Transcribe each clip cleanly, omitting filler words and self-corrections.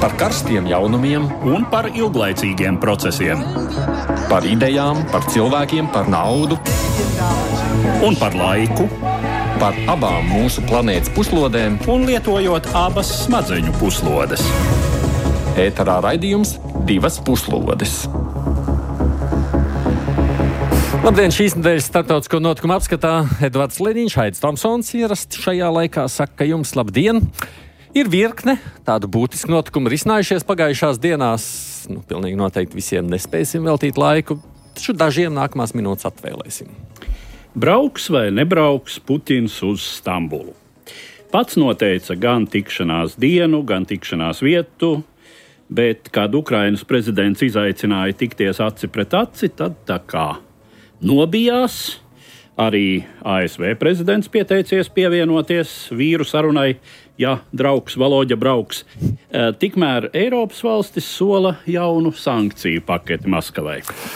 Par karstiem jaunumiem un par ilglaicīgiem procesiem. Par idejām, par cilvēkiem, par naudu Un par laiku. Par abām mūsu planētas puslodēm. Un lietojot abas smadzeņu puslodes. Ēterā raidījums Divas puslodes. Labdien, šīs nedēļas starptautisko notikumu apskatā Edvards Liniņš, Aidis Tomsons ierasti šajā laikā saka jums labdien. Ir virkne tādu būtisku notikumu risinājušies pagājušās dienās. Pilnīgi noteikti visiem nespēsim veltīt laiku, taču dažiem nākamās minūtes atvēlēsim. Brauks vai nebrauks Putins uz Stambulu? Pats noteica gan tikšanās dienu, gan tikšanās vietu, bet, kad Ukrainas prezidents izaicināja tikties aci pret aci, tad tā kā nobijās. Arī ASV prezidents pieteicies pievienoties vīru sarunai, ja draugs Valoģa brauks. Tikmēr Eiropas valstis sola jaunu sankciju paketi Maskavai.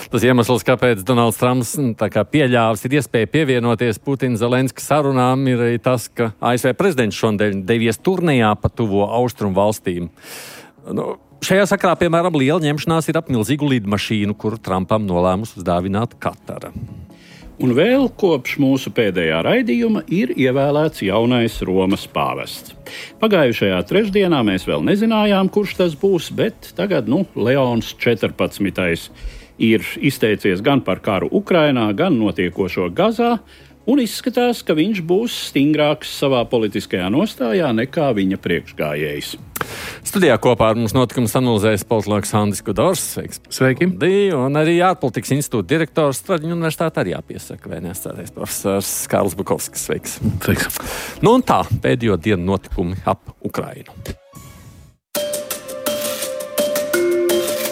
Tas iemesls, kāpēc Donalds Trumps pieļāvis ir iespēja pievienoties Putina-Zelenska sarunām, ir arī tas, ka ASV prezidents šodien devies turnejā pa tuvo austrumu valstīm. Šajā sakarā, piemēram, liela ņemšanās ir ap milzīgu lidmašīnu, kuru Trumpam nolēmus uzdāvināt Katara. Un vēl kopš mūsu pēdējā raidījuma ir ievēlēts jaunais Romas pāvests. Pagājušajā trešdienā mēs vēl nezinājām, kurš tas būs, bet tagad, Leons 14. ir izteicies gan par karu Ukrainā, gan notiekošo Gazā, un izskatās, ka viņš būs stingrāks savā politiskajā nostājā nekā viņa priekšgājējs. Studijā kopā ar mums notikums analizēs politologs Andris Kudors. Sveiki! Un arī ārpolitikas institūta direktors Straģiņu universitāte arī jāpiesaka vēstniecības profesors Kārlis Bukovskis. Sveiks! Sveiks! Un tā, pēdējo dienu notikumi ap Ukrainu.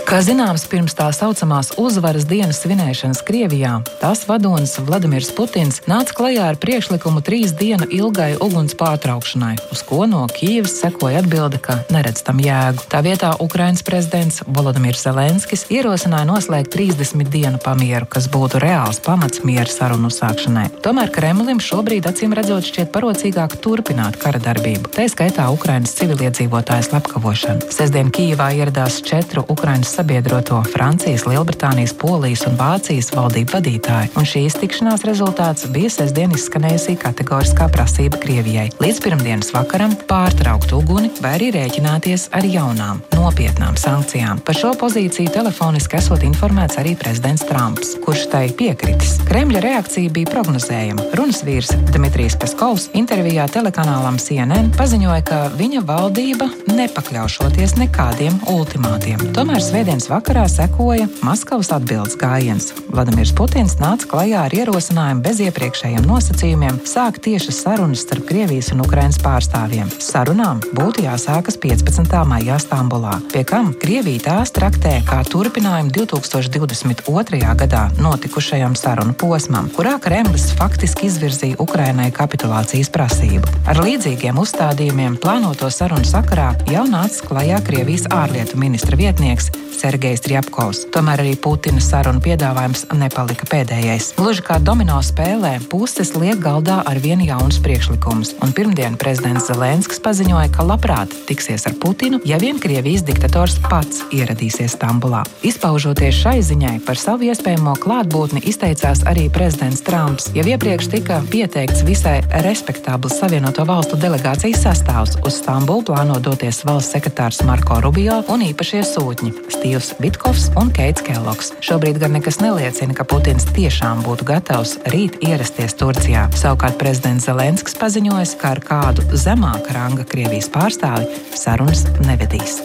Kā zināms, pirms tā saucamās uzvaras dienas svinēšanas Krievijā, tās vadonis Vladimirs Putins nāca klajā ar priekšlikumu 3 dienu ilgai uguns pārtraukšanai, uz ko no Kijevas sekoja atbilde, ka neredz tam jēgu. Tā vietā Ukrainas prezidents Volodimirs Zelenskis ierosināja noslēgt 30 dienu pamieru, kas būtu reāls pamats miera sarunu uzsākšanai. Tomēr Kremlim šobrīd acīm redzot šķiet parocīgāk turpināt kara darbību, tā skaitā Ukrainas civiliedzīvotāju slepkavošanu. Sestdien Kijevā ieradās 4 Ukrainas sabiedroto Francijas, Lielbritānijas, Polijas un Vācijas valdību vadītāji, un šīs tikšanās rezultāts bija sestdien izskanējusī kategoriskā prasība Krievijai līdz pirmdienas vakaram pārtraukt uguni vai arī rēķināties ar jaunām, nopietnām sankcijām. Par šo pozīciju telefoniski esot informēts arī prezidents Trumps, kurš tai piekritis. Kremļa reakcija bija prognozējama. Runas vīrs Dmitrijs Peskovs intervijā telekanālam CNN paziņoja, ka viņa valdība nepakļaušoties nekādiem ultimātiem. Tomēr svētdienas vakarā sekoja Maskavas atbildes gājiens. Vladimirs Putins nāca klajā ar ierosinājumu bez iepriekšējiem nosacījumiem sākt tiešas sarunas starp Krievijas un Ukrainas pārstāvjiem. Sarunām būtu jāsākas 15. maijā Stambulā, pie kam Krievija tās traktē kā turpinājumu 2022. gadā notikušajam sarunu posmam, kurā Kremlis faktiski izvirzīja Ukrainai kapitulācijas prasību. Ar līdzīgiem uzstādījumiem plānoto sarunu sakarā jau nāca klajā Krievijas ārlietu ministra vietnieks Sergejs Rjapkovs. Tomēr arī Putina sarunu piedāvājums nepalika pēdējais. Gluži kā domino spēlē, puses liek galdā ar vienu jaunus priekšlikumus, un pirmdien prezidents Zelenskis paziņoja, ka labprāt tiksies ar Putinu, ja vien Krievijas diktators pats ieradīsies Stambulā. Izpaužoties šai ziņai, par savu iespējamo klātbūtni izteicās arī prezidents Trumps. Jau iepriekš tika pieteikts visai respektabls Savienoto valstu delegācijas sastāvs. Uz Stambulu plāno doties valsts sekretārs Marko Rubio un īpašie sūtņi Stīvs Vitkovs un Keits Kellogs. Šobrīd gan nekas neliecina, ka Putins tiešām būtu gatavs rīt ierasties Turcijā. Savukārt prezidents Zelenskis paziņojas, ka ar kādu zemāka ranga Krievijas pārstāvi sarunas nevedīs.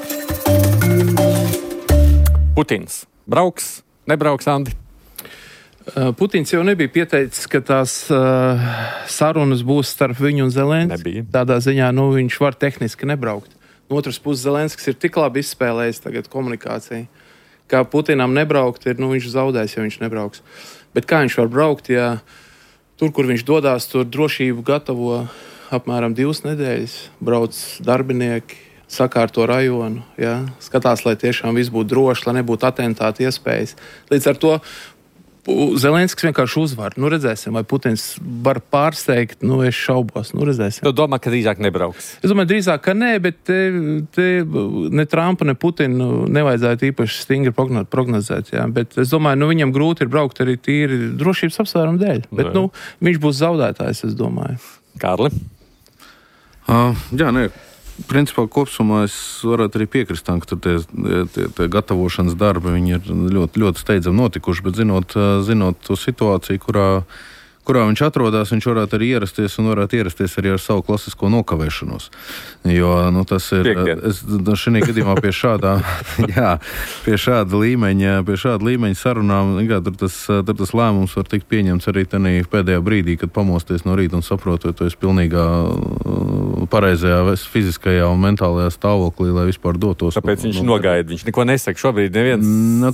Putins brauks, nebrauks, Andi? Putins jau nebija pieteicis, ka tās sarunas būs starp viņu un Zelenski. Tādā ziņā viņš var tehniski nebraukt. No otras puses, Zelenskis ir tik labi izspēlējis tagad komunikāciju, ka Putinam nebraukt ir, viņš zaudēs, ja viņš nebrauks. Bet kā viņš var braukt, ja tur, kur viņš dodās, tur drošību gatavo apmēram 2 nedēļas, brauc darbinieki, sakārto rajonu, skatās, lai tiešām viss būtu droši, lai nebūtu atentāta iespējas. Līdz ar to Zelenskis vienkārši uzvar. Nu, redzēsim, vai Putins var pārsteigt. Nu, es šaubos. Nu, redzēsim. Tu domā, ka drīzāk nebrauks? Es domāju, drīzāk, ka nē, bet te ne Trumpa, ne Putinu nevajadzētu īpaši stingri prognozēt. Jā. Bet es domāju, viņam grūti ir braukt arī tīri drošības apsvērumu dēļ. Bet, viņš būs zaudētājs, es domāju. Kārli? Jā, nē. Principā kopsumā es varētu arī piekrist tam, ka tur tie gatavošanas darbi viņi ir ļoti, ļoti steidzami notikuši, bet zinot to situāciju, kurā viņš atrodas, viņš varētu arī ierasties un varētu ierasties arī ar savu klasisko nokavēšanos. Jo, tas ir, šī gadījumā pie šāda līmeņa sarunām, tur tas lēmums var tikt pieņemts arī pēdējā brīdī, kad pamosties no rīta un saprot, vai tu esi pilnīgā pareizajā fiziskajā un mentālajā stāvoklī, lai vispār dotos. Tāpēc viņš nogaida, viņš neko nesaka šobrīd neviens.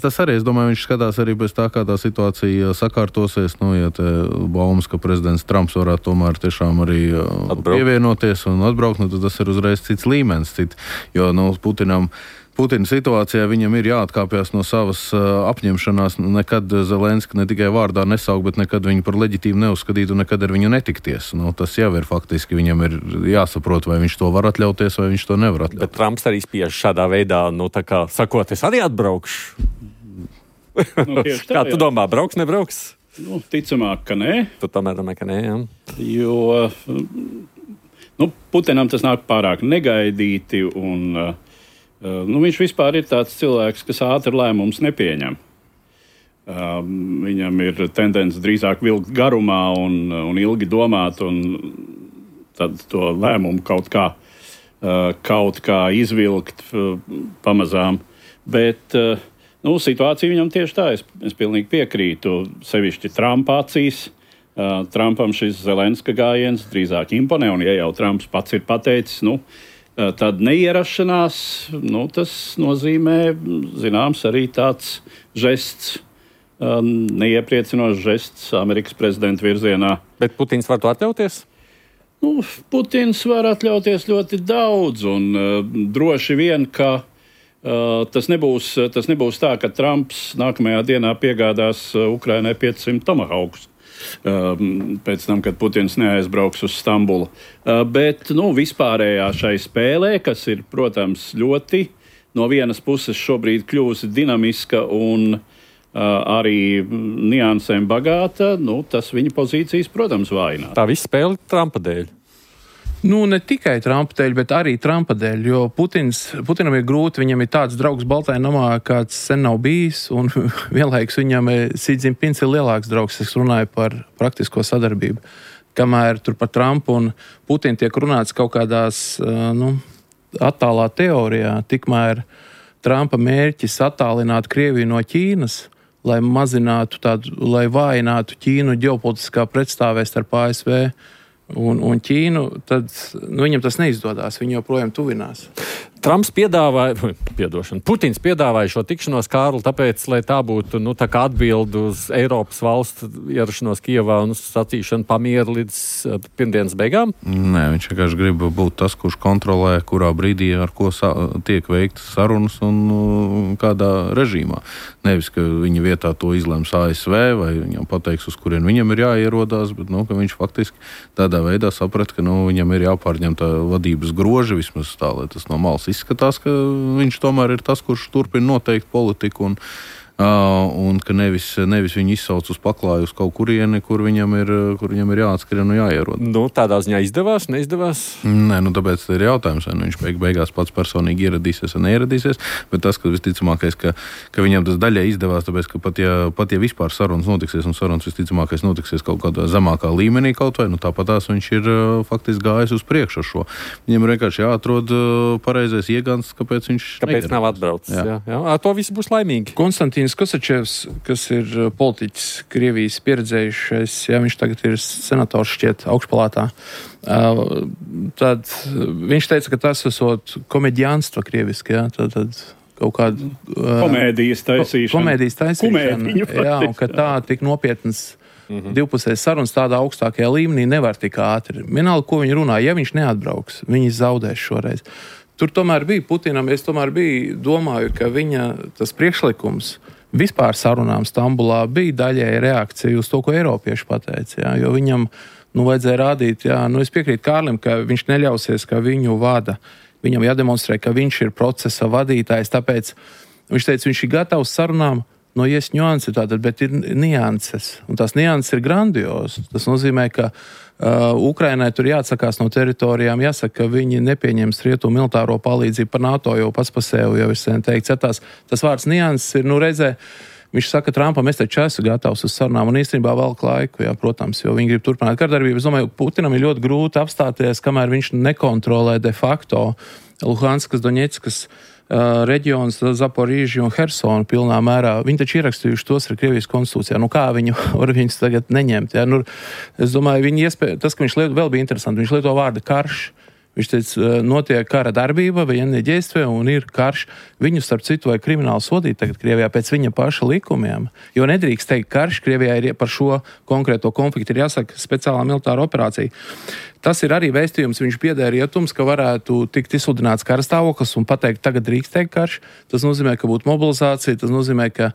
Tas arī, es domāju, viņš skatās arī pēc tā, kā tā situācija sakārtosies, ja te baumas, ka prezidents Trumps varētu tomēr tiešām arī pievienoties un atbraukt, tad tas ir uzreiz cits līmenis, jo Putina situācijā viņam ir jāatkāpjas no savas apņemšanās, nekad Zelenski ne tikai vārdā nesauk, bet nekad viņu par leģitīmu neuzskatīt un nekad ar viņu netikties. Tas jau ir faktiski, viņam ir jāsaprot, vai viņš to var atļauties, vai viņš to nevar atļauties. Bet Trumps arī spiež šādā veidā, tā kā sakot, es arī atbraukšu. Kā tu domā, brauks, nebrauks? Ticamāk, ka nē. Tu tomēr domā, ka nē, jā. Jo Putinam tas nāk pārāk negaidīti un viņš vispār ir tāds cilvēks, kas ātri lēmumus nepieņem. Viņam ir tendence drīzāk vilkt garumā un ilgi domāt, un tad to lēmumu kaut kā izvilkt pamazām. Bet situācija viņam tieši tā, es pilnīgi piekrītu, sevišķi Trumpa acīs. Trumpam šis Zelenska gājiens drīzāk imponē, un ja jau Trumps pats ir pateicis, tad neierašanās, tas nozīmē, zināms, arī tāds žests, neiepriecinošs žests Amerikas prezidenta virzienā. Bet Putins var to atļauties? Putins var atļauties ļoti daudz, un droši vien, ka tas nebūs tā, ka Trumps nākamajā dienā piegādās Ukrainai 500 tomahawkus. Pēc tam, kad Putins neaizbrauks uz Stambulu. Bet vispārējā šai spēlē, kas ir, protams, ļoti no vienas puses šobrīd kļūsi dinamiska un arī niansēm bagāta, tas viņa pozīcijas, protams, vājināt. Tā viss spēle Trumpa dēļ. Ne tikai Trumpa dēļ, bet arī Trumpa dēļ, jo Putinam ir grūti, viņam ir tāds draugs Baltajā namā, kāds sen nav bijis, un vienlaikus viņam Xi Jinpings ir lielāks draugs, es runāju par praktisko sadarbību. Kamēr tur par Trumpu un Putinu tiek runāts kaut kādās, attālā teorijā, tikmēr Trumpa mērķis attālināt Krieviju no Ķīnas, lai lai vājinātu Ķīnu ģeopolitiskā pretstāvē starp ASV un Ķīnu, tad viņam tas neizdodas. Viņi joprojām tuvinās. Putins piedāvāja šo tikšanos, Kārli, tāpēc, lai tā būtu tā kā atbildi uz Eiropas valstu ierašanos Kijevā un sacīšanu pamieru līdz pirmdienas beigām? Nē, viņš vienkārši grib būt tas, kurš kontrolē, kurā brīdī ar ko tiek veiktas sarunas un kādā režīmā. Nevis, ka viņa vietā to izlems ASV vai viņam pateiks, uz kurien viņam ir jāierodās, bet ka viņš faktiski tādā veidā saprat, ka viņam ir jāpārņem tā vadības groži, vismaz tā, lai tas no malas izskatās, ka viņš tomēr ir tas, kurš turpina noteikt politiku un ka nevis viņu izsauc uz paklāju uz kaut kurieni, kur viņam ir jāatskrien un jāierod. Tādā ziņā izdevās, neizdevās? Nē, tāpēc ir jautājums, vai viņš beigās pats personīgi ieradīsies vai neieradīsies, bet tas, ka visticamākais, ka viņam tas daļai izdevās, tāpēc, ka pat ja vispār sarunas notiksies, un sarunas visticamākais notiksies kaut kādā zemākā līmenī kaut vai, tāpatās viņš ir faktiski gājis uz priekšu ar šo. Viņam ir vienkārši jāatrod pareizais iegans, kāpēc viņš nav atbraucis. Jā. To visi būs laimīgi. Konstantīns Kosačevs, kas ir politiķis Krievijas pieredzējušais, viņš tagad ir senators šķiet augšpalātā, tad viņš teica, ka tas esot komediānstva krieviski, tad kaut kādu komēdijas taisīšana. Jā, un ka tā tik nopietnas divpusējas sarunas tādā augstākajā līmenī nevar tik ātri. Vienalga, ko viņi runā, ja viņš neatbrauks, viņi zaudēs šoreiz. Tur tomēr bija Putinam, es tomēr domāju, ka viņa tas priekšlikums vispār sarunām Stambulā bija daļēji reakcija uz to, ko eiropieši pateica, jā, jo viņam, vajadzēja rādīt, jā, es piekrītu Kārlim, ka viņš neļausies, ka viņu vada. Viņam jādemonstrē, ka viņš ir procesa vadītājs, tāpēc viņš teica, viņš ir gatavs sarunām, nianses tātad, bet ir nianses, un tās nianses ir grandiozas. Tas nozīmē, ka Ukrainai tur jāatsakās no teritorijām, jāsaka, ka viņi nepieņems rietumu militāro palīdzību par NATO, jo pats pa sevi jau ir sen teikts. Tas vārds nianses ir, reizē, viņš saka Trumpam, es taču esmu gatavs uz sarunām, un īstenībā velk laiku, jā, protams, jo viņi grib turpināt kardarbību. Es domāju, Putinam ir ļoti grūti apstāties, kamēr viņš nekontrolē de facto Luhanskas, Doņetskas reģions, Zaporīži un Hersonu pilnā mērā. Viņi taču ierakstījuši tos ar Krievijas konstitūcijā. Kā viņi var viņus tagad neņemt? Jā? Es domāju, tas, ka viņš vēl bija interesanti, viņš lieto vārdu karš. Viņš teica, notiek kara darbība, военные действия, un ir karš. Viņu, starp citu, vai krimināli sodīt tagad Krievijā pēc viņa paša likumiem. Jo nedrīkst teikt, karš Krievijā ir par šo konkrēto konfliktu, ir jāsaka speciālā militāra operācija. Tas ir arī vēstījums, viņš piedēja rietums, ka varētu tikt izsludināts karastāvoklis un pateikt, tagad drīkst teikt karš. Tas nozīmē, ka būtu mobilizācija, tas nozīmē, ka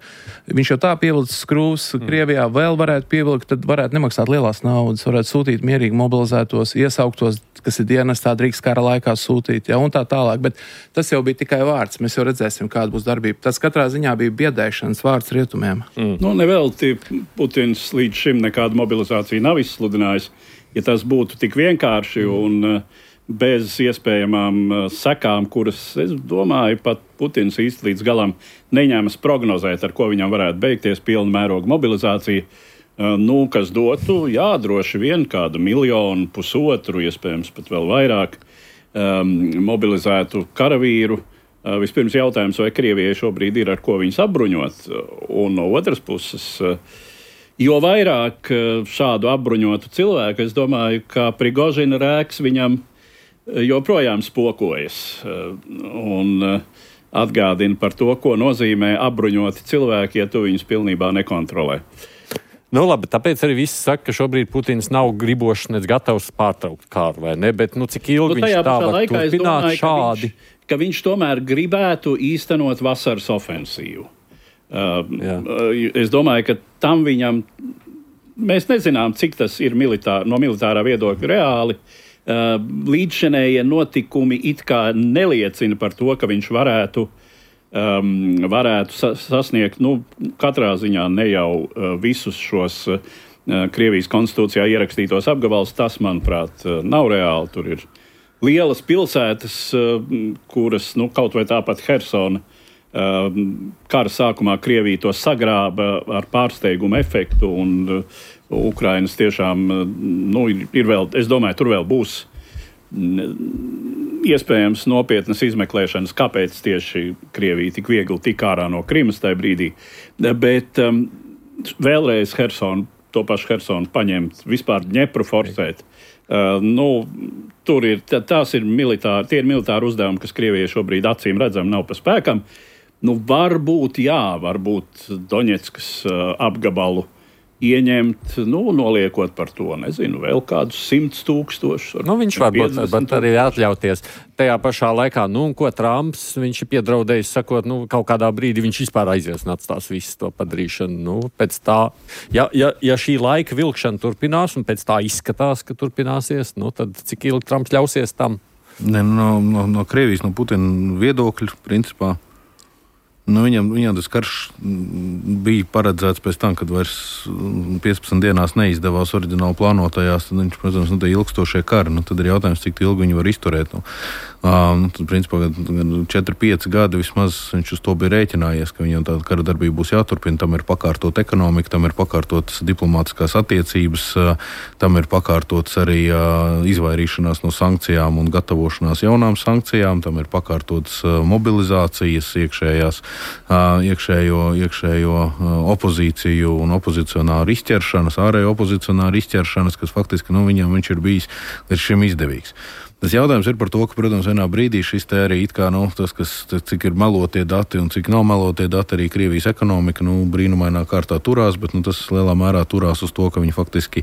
viņš jau tā pievilcis skrūvs Krievijā, vēl varētu pievilkt, tad varētu nemaksāt lielās naudas, varētu sūtīt mierīgi mobilizētos, iesauktos, kas ir dienestā, drīkst kara laikā sūtīt, ja, un tā tālāk. Bet tas jau bija tikai vārds, mēs jau redzēsim, kāda būs darbība. Tas katrā ziņā bija biedēšanas vārds rietumiem. Nevelti Putins līdz šim nekādu mobilizāciju nav izsludinājis. Ja tas būtu tik vienkārši un bez iespējamām sekām, kuras, es domāju, pat Putins īsti līdz galam neņēmas prognozēt, ar ko viņam varētu beigties pilna mēroga mobilizācija, kas dotu, droši vien kādu 1 miljonu, 1,5, iespējams pat vēl vairāk mobilizētu karavīru. Vispirms jautājums, vai Krievijai šobrīd ir ar ko viņus apbruņot, un no otras puses, jo vairāk šādu apbruņotu cilvēku, es domāju, ka Prigožina rēks viņam joprojām spokojas un atgādina par to, ko nozīmē apbruņoti cilvēki, ja tu viņus pilnībā nekontrolē. Labi, tāpēc arī viss saka, ka šobrīd Putins nav gribošs, nec gatavs pārtraukt kāru, vai ne? Bet cik ilgi viņš tā var turpināt šādi? Ka viņš tomēr gribētu īstenot vasaras ofensīvu. Es domāju, ka tam viņam, mēs nezinām, cik tas ir no militārā viedokļa reāli. Līdzšinējie notikumi it kā neliecina par to, ka viņš varētu sasniegt, katrā ziņā ne jau visus šos Krievijas konstitūcijā ierakstītos apgabals. Tas, manuprāt, nav reāli. Tur ir lielas pilsētas, kuras, kaut vai tāpat Hersona, kara sākumā Krievija to sagrāba ar pārsteigumu efektu, un Ukrainas tiešām, ir vēl, es domāju, tur vēl būs iespējams nopietnas izmeklēšanas, kāpēc tieši Krievija tik viegli tika ārā no Krimas tajā brīdī. Bet vēlreiz to pašu Hersonu paņemt, vispār Dņepru forsēt. Tur ir, tie ir militāri uzdevumi, kas Krievijai šobrīd acīm redzam nav pa spēkam. Varbūt Doņetskas apgabalu ieņemt, noliekot par to, nezinu, vēl kādus 100,000. Viņš varbūt arī atļauties. Tajā pašā laikā, ko Trumps, viņš ir piedraudējis, sakot, kaut kādā brīdī viņš vispār aizies un atstās visu to padarīšanu. Pēc tā, ja šī laika vilkšana turpinās un pēc tā izskatās, ka turpināsies, tad cik ilgi Trumps ļausies tam? No Krievijas, no Putina viedokļa, principā, viņam tas karš bija paredzēts pēc tam, kad vairs 15 dienās neizdevās oriģināli plānotajās, tad viņš, protams, tie ilgstošie kari, tad ir jautājums, cik ilgi viņi var izturēt. Tad, principā, 4-5 gadi vismaz viņš uz to bija rēķinājies, ka viņam tāda kara darbība būs jāturpina, tam ir pakārtot ekonomika, tam ir pakārtotas diplomātiskās attiecības, tam ir pakārtotas arī izvairīšanās no sankcijām un gatavošanās jaunām sankcijām, tam ir pakārtotas mobilizācijas, iekšējo opozīciju un opozicionāru izķeršanas, ārējo opozicionāru izķeršanas, kas faktiski, viņam viņš ir bijis līdz šim izdevīgs. Tas jautājums ir par to, ka, protams, vienā brīdī šis te arī it kā, tas, cik ir melotie dati un cik nav melotie dati, arī Krievijas ekonomika, brīnumainā kārtā turās, bet tas lielā mērā turās uz to, ka viņi faktiski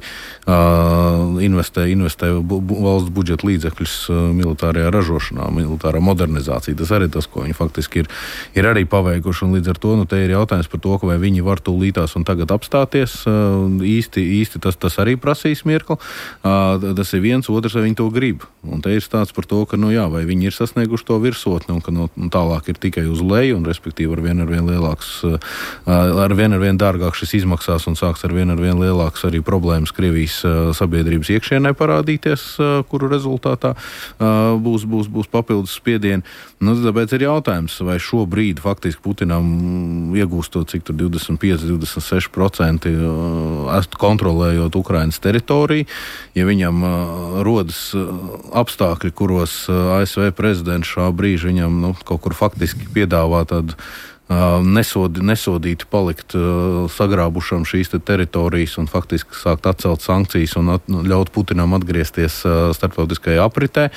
investē valsts budžeta līdzekļus militārajā ražošanā, militārā modernizācija. Tas arī tas, ko viņi faktiski ir arī paveikuši, un līdz ar to, te ir jautājums par to, ka vai viņi var tūlītās un tagad apstāties. Īsti tas arī prasīs mirkli. Tas ir viens, otrs, vai viņi to grib. Un te ir stāsts par to, ka, vai viņi ir sasnieguši to virsotni, un ka tālāk ir tikai uz leju, un respektīvi ar vien lielāks, ar vien dārgāk šis izmaksās, un sāks ar vien lielāks arī problēmas Krievijas sabiedrības iekšienē parādīties, kuru rezultātā būs papildus spiedieni. Tāpēc ir jautājums, vai šobrīd faktiski Putinam iegūstot cik tur 25-26% kontrolējot Ukrainas teritoriju, ja viņam rodas apstākļi, kuros ASV prezidents šā brīža viņam kaut kur faktiski piedāvā tādu nesodīti palikt sagrābušam šīs teritorijas un faktiski sākt atcelt sankcijas un ļaut Putinam atgriezties starptautiskajā apritē.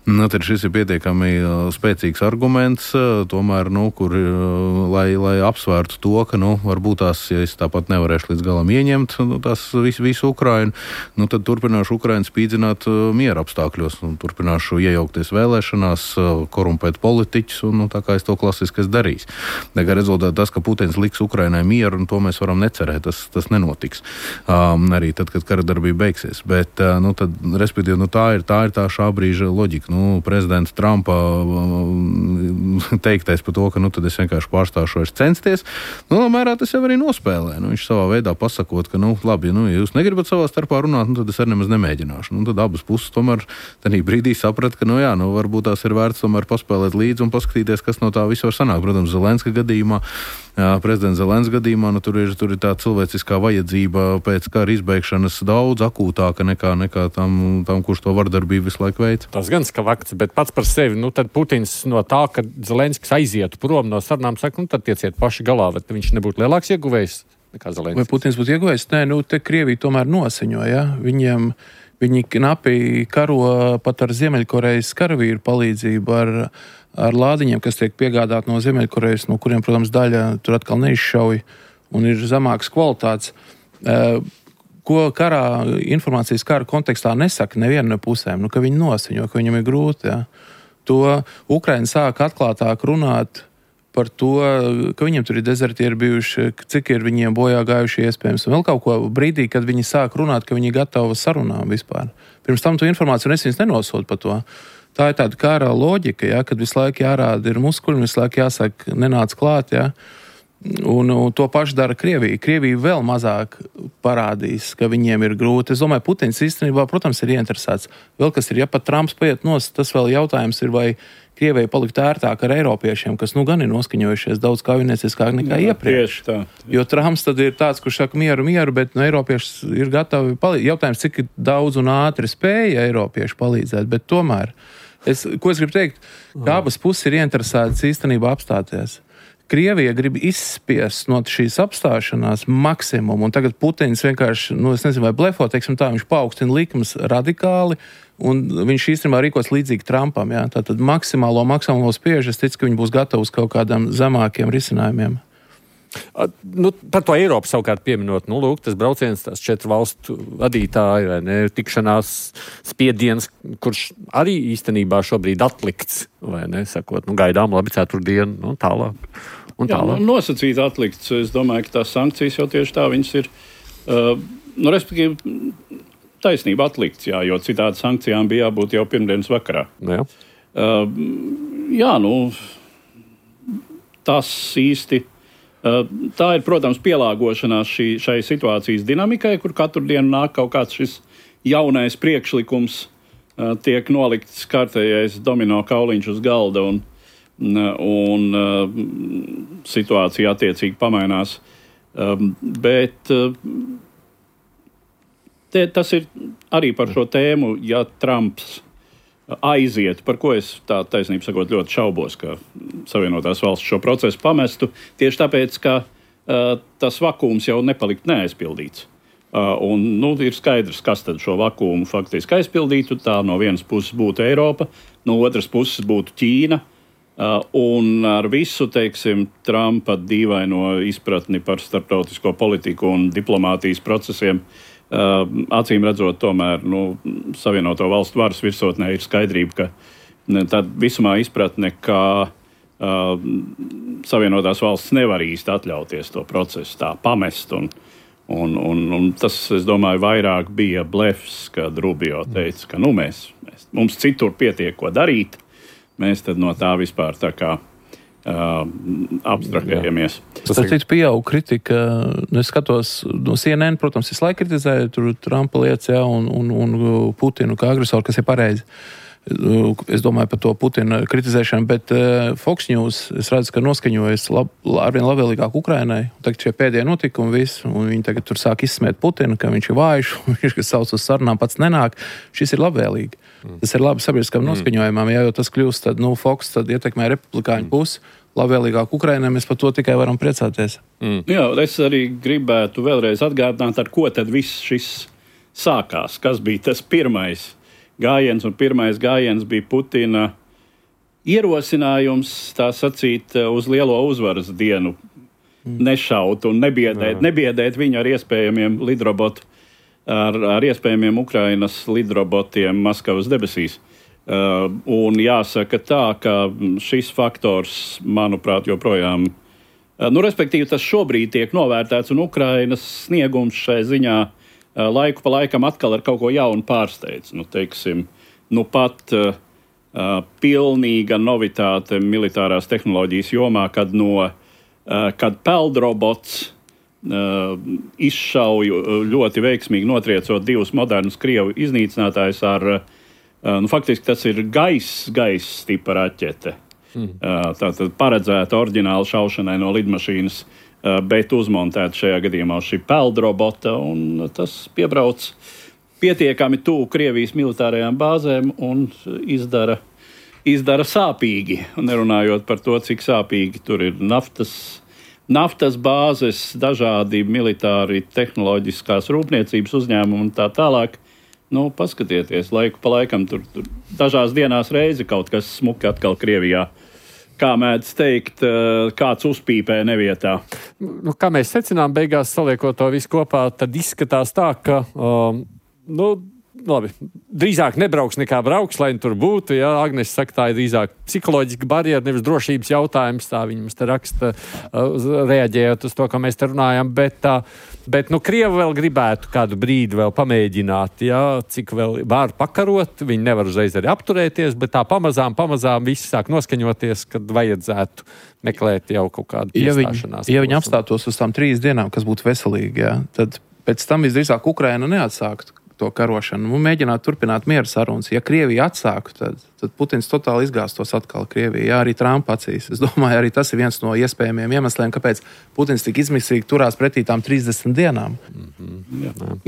Tad šis ir pietiekami spēcīgs arguments, tomēr, lai apsvērtu to, ka, varbūt tās, ja es tāpat nevarēšu līdz galam ieņemt tās visu Ukrainu, tad turpināšu Ukrainu spīdzināt miera apstākļos un turpināšu iejaukties vēlēšanās, korumpēt politiķus un tā kā es to klasiski darīšu. Tā kā rezultātā tas, ka Putins liks Ukrainai mieru, un to mēs varam necerēt, tas nenotiks. Arī tad, kad karadarbība beigsies. Bet, tad, respektīvi, tā ir tā šā brīža loģika. Prezidenta Trumpa teiktais par to, ka tad es vienkārši pārstāšu vairs censties, mērā tas jau arī nospēlē. Viņš savā veidā pasakot, ka, labi, ja jūs negribat savā starpā runāt, tad es arī nemaz nemēģināšu. Tad abas puses tomēr tādā brīdī saprat, ka, varbūt tās ir vērts tomēr paspēlēt līdzi un paskatīties, kas no tā viss var sanākt. Protams, Zelenska gadījumā, prezidenta Zelenska gadījumā, tur ir tā cilvēciskā vajadzība pēc kara izbeigšanas daudz akūtāka nekā tam, kurš to vardarbību visu laiku veic. Tas gan skavakts, bet pats par sevi, tad Putins no tā, ka Zelenskis aizietu prom no sarunām, saka, tad tieciet paši galā, bet viņš nebūtu lielāks ieguvējs nekā Zelenskis. Vai Putins būtu ieguvējs? Nē, te Krievija tomēr noseņo, ja? Viņi knapi karo pat ar Ziemeļkorejas karavīru palīdzību, ar lādiņiem, kas tiek piegādāti no Ziemeļkorejas, no kuriem, protams, daļa tur atkal neizšauj un ir zemākas kvalitātes. Ko informācijas kara kontekstā nesaka neviena no pusēm, ka viņi noseņo, ka viņam ir grūti. Ja? To Ukraina sāk atklātāk runāt par to, ka viņiem tur ir dezertieri bijuši, cik ir viņiem bojā gājuši iespējams. Un vēl kaut ko brīdī, kad viņi sāk runāt, ka viņi ir gatavi sarunām vispār. Pirms tam to informāciju es viņus nenosodu par to. Tā ir tāda kara loģika, ja, kad visu laiku jārāda ir muskuļi, visu laiku jāsaka nenāc klāt, ja. Un to pašu dara Krievija. Krievija vēl mazāk parādīs, ka viņiem ir grūti. Es domāju, Putins īstenībā, protams, ir ieinteresēts. Vēl kas ir, ja pat Trumps paiet nost, tas vēl jautājums ir, vai Krievijai palikt ērtāk ar eiropiešiem, kas gan ir noskaņojušies daudz kaujinieciskāk nekā iepriekš. Jo Trumps tad ir tāds, kurš saka mieru, bet eiropieši ir gatavi palīdzēt. Jautājums, cik daudz un ātri spēja eiropieši palīdzēt, bet tomēr. Ko es gribu teikt? Ka abas puses ir ieinteresētas īstenībā apstāties. Krievija grib izspiest no šīs apstāšanās maksimumu, un tagad Putins vienkārši, es nezinu, vai blefo, teiksim tā, viņš paaugstina likmes radikāli, un viņš īstenībā rīkos līdzīgi Trumpam, jā. Tātad maksimālo spiež, es ticu, ka viņi būs gatavi uz kaut kādiem zemākiem risinājumiem. Par to Eiropu savukārt pieminot, tas brauciens, tās 4 valstu vadītāji, vai ne, tikšanās spiediens, kurš arī īstenībā šobrīd atlikts, vai ne, sakot, gaidām labi ceturtdienu, tālāk. Nosacīt atlikts, es domāju, ka tās sankcijas jau tieši tā, viņas ir, respektīvi, taisnība atlikts, jā, jo citādi sankcijām bija jābūt jau pirmdienas vakarā. Jā. Tas īsti. Tā ir, protams, pielāgošanās šai situācijas dinamikai, kur katru dienu nāk kaut kāds šis jaunais priekšlikums, tiek nolikts kārtējais domino kauliņš uz galda un situācija attiecīgi pamainās. Bet tas ir arī par šo tēmu, ja Trumps aiziet, par ko es tā taisnība sakot ļoti šaubos, ka Savienotās valstis šo procesu pamestu, tieši tāpēc, ka tas vakums jau nepalikt neaizpildīts. Un ir skaidrs, kas tad šo vakuumu faktiski aizpildītu. Tā no vienas puses būtu Eiropa, no otras puses būtu Ķīna. Un ar visu, teiksim, Trumpa dīvaino izpratni par starptautisko politiku un diplomātijas procesiem, acīm redzot, tomēr Savienoto valstu varas virsotnē ir skaidrība, ka tad visumā izpratne, ka Savienotās valsts nevar īsti atļauties to procesu tā pamest. Un tas, es domāju, vairāk bija blefs, kad Rubio teica, ka mums citur pietiek ko darīt. Mēs tad no tā vispār tā kā abstrahējamies. Tas cits pieaug kritika. Es skatos no CNN, protams, visu laiku kritizēju tur Trumpa lietas, un Putinu kā agresoru, kas ir pareizi. Es domāju par to Putina kritizēšanu, bet Fox News, es redzu, ka noskaņojas arvien labvēlīgāk Ukrainai. Tagad šie pēdējie notikumi visi, un viņi tagad tur sāk izsmēt Putinu, ka viņš ir vājš, viņš, kas sauc uz sarunām, pats nenāk. Šis ir labvēlīgi. Tas ir labi sabiedriskam noskaņojumam, jo tas kļūst, tad, Fox tad ietekmē republikāņu pusi. Labvēlīgāk Ukrainai, mēs par to tikai varam priecāties. Jā, es arī gribētu vēlreiz atgādināt, ar ko tad viss šis sākās. Kas bija tas pirmais gājiens, un pirmais gājiens bija Putina ierosinājums, tā sacīt, uz lielo uzvaras dienu nešaut un nebiedēt viņu ar iespējamiem lidrobotu, ar iespējamiem Ukrainas lidrobotiem Maskavas debesīs. Un jāsaka tā, ka šis faktors, manuprāt, joprojām, respektīvi tas šobrīd tiek novērtēts, un Ukrainas sniegums šai ziņā laiku pa laikam atkal ar kaut ko jaunu pārsteidz. Teiksim, pat pilnīga novitāte militārās tehnoloģijas jomā, kad peldrobots izšauju ļoti veiksmīgi notriecot divus modernus Krievu iznīcinātājus ar, faktiski tas ir gaisa tipa raķete. Tātad paredzēta oriģināla šaušanai no lidmašīnas, bet uzmontēta šajā gadījumā šī peldrobota, un tas piebrauc pietiekami tuvu Krievijas militārajām bāzēm un izdara sāpīgi. Nerunājot par to, cik sāpīgi tur ir naftas bāzes, dažādi militāri tehnoloģiskās rūpniecības uzņēmumi un tā tālāk. Paskatieties, laiku pa laikam tur dažās dienās reizi kaut kas smuki atkal Krievijā. Kā mēdz teikt, kāds uzpīpē nevietā. Kā mēs secinām, beigās saliekot to visu kopā, tad izskatās tā, ka labi, drīzāk nebrauks nekā brauks, lai tur būtu. Ja? Agnes saka, tā ir drīzāk psiholoģiska barjera, nevis drošības jautājums. Tā viņi mums te raksta, reaģējot uz to, ko mēs te runājam. Bet Krievi vēl gribētu kādu brīdi vēl pamēģināt, ja? Cik vēl var pakarot. Viņi nevar uzreiz arī apturēties, bet tā pamazām visi sāk noskaņoties, kad vajadzētu meklēt jau kaut kādu iestāšanās. Ja viņi apstātos uz tām 3 dienām, kas būtu veselīgi, ja? Tad pēc tam visdrīzāk Ukraina neatsāktu to karošanu. Mēģināt turpināt miera sarunas. Ja Krievija atsāku, tad Putins totāli izgāstos atkal Krievijā. Jā, arī Trumpa acīs. Es domāju, arī tas ir viens no iespējamiem iemesliem, kāpēc Putins tik izmisīgi turās pretī tām 30 dienām.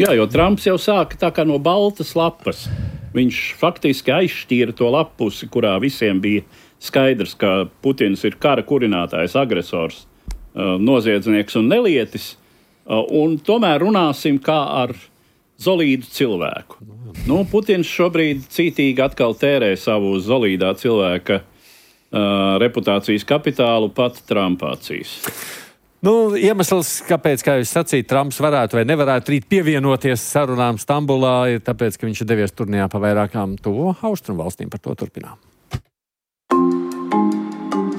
Jā, jo Trumps jau sāka tā kā no baltas lapas. Viņš faktiski aizšķīra to lapusi, kurā visiem bija skaidrs, ka Putins ir kara kurinātājs, agresors, noziedznieks un nelietis. Un tomēr runāsim kā ar zolīdu cilvēku. Putins šobrīd cītīgi atkal tērē savu zolīdā cilvēka reputācijas kapitālu pat Trumpa acīs. Iemesls, kāpēc, kā jūs sacījāt, Trumps varētu vai nevarētu rīt pievienoties sarunām Stambulā, ir tāpēc, ka viņš ir devies turnījā pa vairākām tuvo austrumu valstīm. Par to turpinām.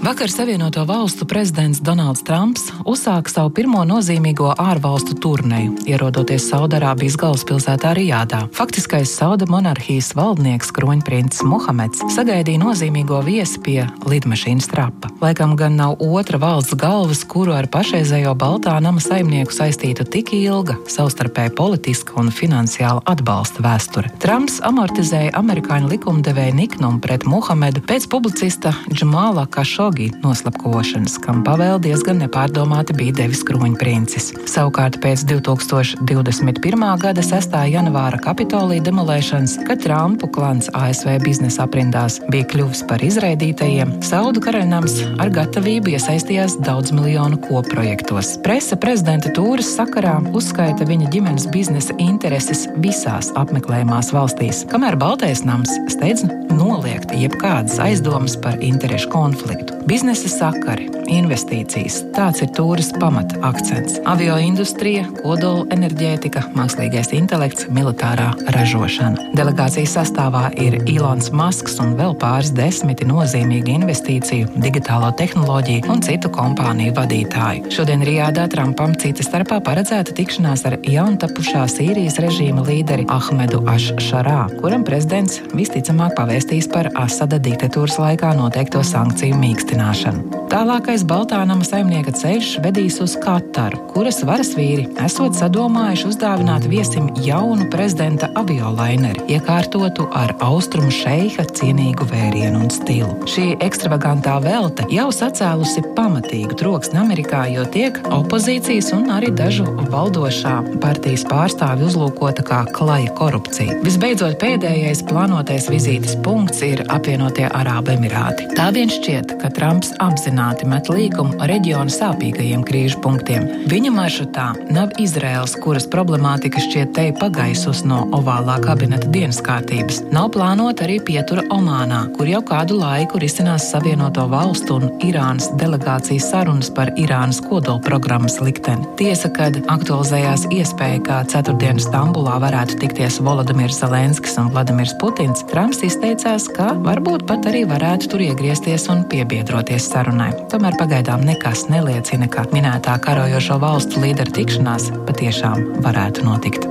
Vakar Savienoto valstu prezidents Donalds Trumps uzsāka savu pirmo nozīmīgo ārvalstu turneju, ierodoties Saudarābijas galvaspilsētā Rijādā. Faktiskais Sauda monarhijas valdnieks kroņprincis Mohameds sagaidīja nozīmīgo viesi pie lidmašīnas trapa. Laikam gan nav otra valsts galvas, kuru ar pašreizējo Baltā nama saimnieku saistītu tik ilga, savstarpēji politiska un finansiāla atbalsta vēsture. Trumps amortizēja amerikāņu likumdevēju niknumu pret Mohamedu pēc publicista Džamāla Kašogi Hašogi noslapkošanas, kam pavēl diezgan nepārdomāti bija devis kroņprincis. Savukārt pēc 2021. gada 6. janvāra Kapitolija demolēšanas, kad Trumpu klans ASV biznesa aprindās bija kļuvis par izraidītajiem, Saudu karaļnams ar gatavību iesaistījās daudz miljonu kopprojektos. Presa prezidenta tūres sakarā uzskaita viņa ģimenes biznesa intereses visās apmeklējumās valstīs, kamēr Baltais nams steidz noliegt jebkādas aizdomas par interešu konfliktu. Biznesa sakari, investīcijas – tāds ir tūres pamata akcents. Avioindustrija, kodola enerģētika, mākslīgais intelekts, militārā ražošana. Delegācijas sastāvā ir Ilons Masks un vēl pāris desmiti nozīmīgi investīciju, digitālo tehnoloģiju un citu kompāniju vadītāju. Šodien Rijādā Trumpam cita starpā paredzēta tikšanās ar jauntapušā Sīrijas režīma līderi Ahmedu Aš-Šarā, kuram prezidents visticamāk pavēstīs par Asada diktatūras laikā noteikto sankciju mīkstināšanu. Tālākais Baltā nama saimnieka ceļš vedīs uz Kataru, kuras varas vīri esot sadomājuši uzdāvināt viesim jaunu prezidenta aviolaineri, iekārtotu ar austrumu šeiha cienīgu vērienu un stilu. Šī ekstravagantā velte jau sacēlusi pamatīgu troksni Amerikā, jo tiek opozīcijas un arī dažu valdošā partijas pārstāvi uzlūkota kā klaja korupcija. Visbeidzot, pēdējais plānotais vizītes punkts ir apvienotie Arābu Emirāti. Tā vien šķiet, ka Trumps apzināti met līkumu reģiona sāpīgajiem krīžu punktiem. Viņa maršrutā nav Izraels, kuras problemātika šķiet te pagaisus no ovālā kabineta dienas kārtības. Nav plānota arī pietura Omānā, kur jau kādu laiku risinās Savienoto valstu un Irānas delegācijas sarunas par Irānas kodolprogrammas likteni. Tiesa, kad aktualizējās iespēja, kā ceturtdien Stambulā varētu tikties Volodimirs Zelenskis un Vladimirs Putins, Trumps izteicās, ka varbūt pat arī varētu tur iegriezties un piebiedroties sarunai. Tomēr pagaidām nekas neliecina, ka minētā karojošo valstu līderu tikšanās patiešām varētu notikt.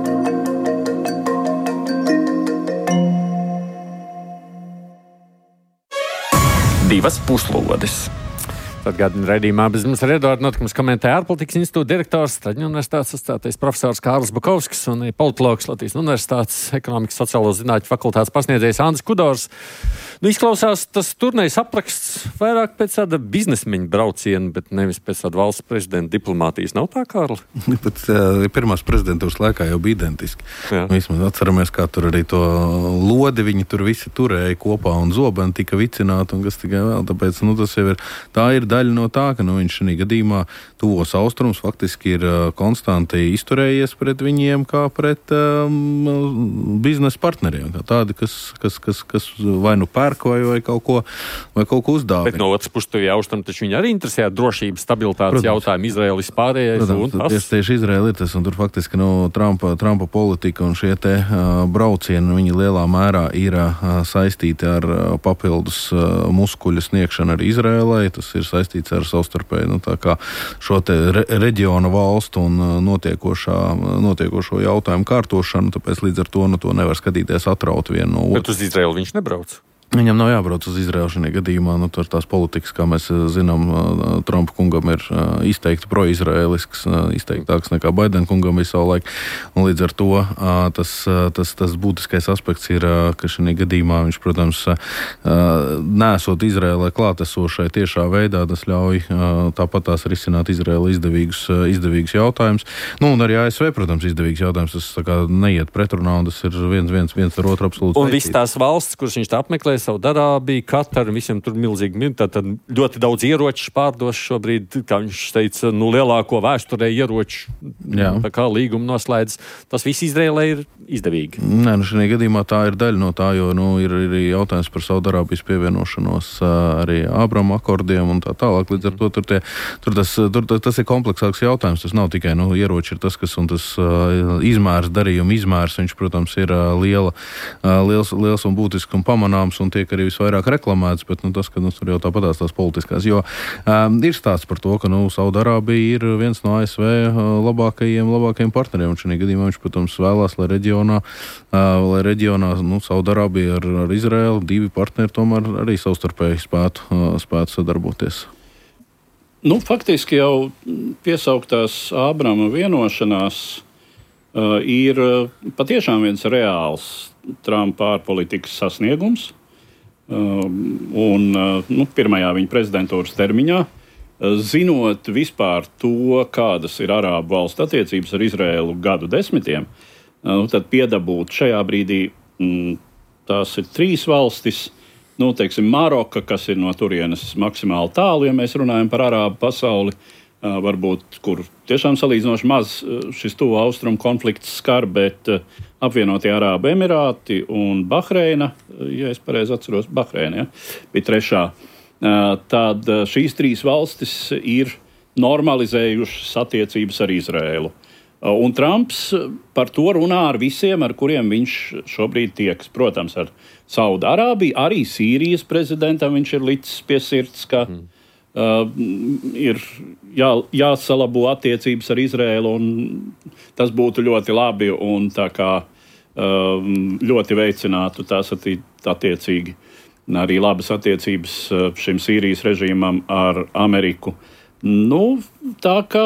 Divas puslodes. Atgādina raidījumā bez mums ar Eduardu notikumus komentē ārpolitikas institūta direktors, Straģņu universitātes asociētais profesors Kārlis Bukovskis un politologs Latvijas universitātes ekonomikas sociālo zinātņu fakultātes pasniedzējs Andris Kudors. Izklausās tas turnejs apraksts vairāk pēc tāda biznesmeņa brauciena, bet nevis pēc tāda valsts prezidenta diplomātijas. Nav tā, Kārli? Bet pirmās prezidentūras laikā jau bija identiski. Vismaz atceramies, kā tur arī to lodi viņi tur visi turēja kopā un zobeni tika vicināti un kas tikai vēl. Tāpēc, tas jau ir, tā ir daļa no tā, ka viņš šī gadījumā tuvos austrums faktiski ir konstanti izturējies pret viņiem kā pret biznesa partneriem. Kā tādi, kas vai nu pērk vai kaut ko uzdāvina. Bet no otras puses, tuvie austrumi, taču viņi arī interesē drošības, stabilitātes jautājumu, Izraēlas pārējais. Protams, tieši Izraēla ir tas, un tur faktiski Trumpa politika un šie te braucieni, viņi lielā mērā ir saistīti ar papildus muskuļu sniegšanu arī Izraēlai. Tas ir saistīts ar savstarpēju, tā kā šo te reģiona valstu un notiekošo jautājumu kārtošanu, tāpēc līdz ar to nevar skatīties atraut vienu no otru. Bet uz Izraēlu viņš nebrauc? Viņam nav jābrauc uz Izraēlu šajā gadījumā. Tur tās politikas, kā mēs zinām, Trumpa kungam ir izteikti pro-izraēlisks, izteiktāks nekā Baidena kungam bija savulaik. Un līdz ar to tas būtiskais aspekts ir, ka šajā gadījumā viņš, protams, nesot Izraēlai klātesošai tiešā veidā, tas ļauj tāpat tās risināt Izraēla izdevīgus jautājumus. Un arī ASV, protams, izdevīgs jautājums. Tas tā kā neiet pretrunā, un tas ir viens ar otru absolūti. Un viss tās valsts, kuras viņš tā apmeklē, Saudarābija, Katara, visiem tur milzīgi, tad ļoti daudz ieroču pārdos šobrīd, kā viņš teica, lielāko vēsturē ieroču, tā kā līgumu noslēdz. Tas viss Izraēlai ir izdevīgi. Nē, šajā gadījumā tā ir daļa no tā, jo ir jautājums par Saudarābijas pievienošanos arī Ābrama akordiem un tā tālāk. Līdz ar to tas ir kompleksāks jautājums. Tas nav tikai ieroči ir tas, kas un tas darījuma izmērs, viņš, protams, ir liels un būtisks un pamanāms un tiek arī visvairāk reklamēts, bet tas, ka tur jau tāpatās tās politiskās, jo ir stāsts par to, ka Saudarābija ir viens no ASV labākajiem partneriem, un šajā gadījumā viņš, protams, vēlās, lai reģionā Saudarābija ar Izraēlu, divi partneri tomēr arī savstarpēji spētu sadarboties. Faktiski jau piesauktās Ābrama vienošanās ir patiešām viens reāls Trumpa ārpolitikas sasniegums. pirmajā viņa prezidentūras termiņā, zinot vispār to, kādas ir arābu valstu attiecības ar Izraēlu gadu desmitiem, tad piedabūt šajā brīdī tās ir 3 valstis, teiksim, Maroka, kas ir no turienes maksimāli tālu, ja mēs runājam par arābu pasauli, varbūt, kur tiešām salīdzinoši maz šis tuvo austrumu konflikts skar, bet apvienotie Arābu Emirāti un Bahreina, ja es pareizi atceros, Bahreina, bija trešā. Tad šīs 3 valstis ir normalizējušas attiecības ar Izraēlu. Un Trumps par to runā ar visiem, ar kuriem viņš šobrīd tieks. Protams, ar Saudārābiju, arī Sīrijas prezidentam viņš ir licis pie sirds, ka ir jāsalabo attiecības ar Izraēlu, un tas būtu ļoti labi un tā kā ļoti veicinātu tās attiecīgi arī labas attiecības šim Sīrijas režīmam ar Ameriku. Tā kā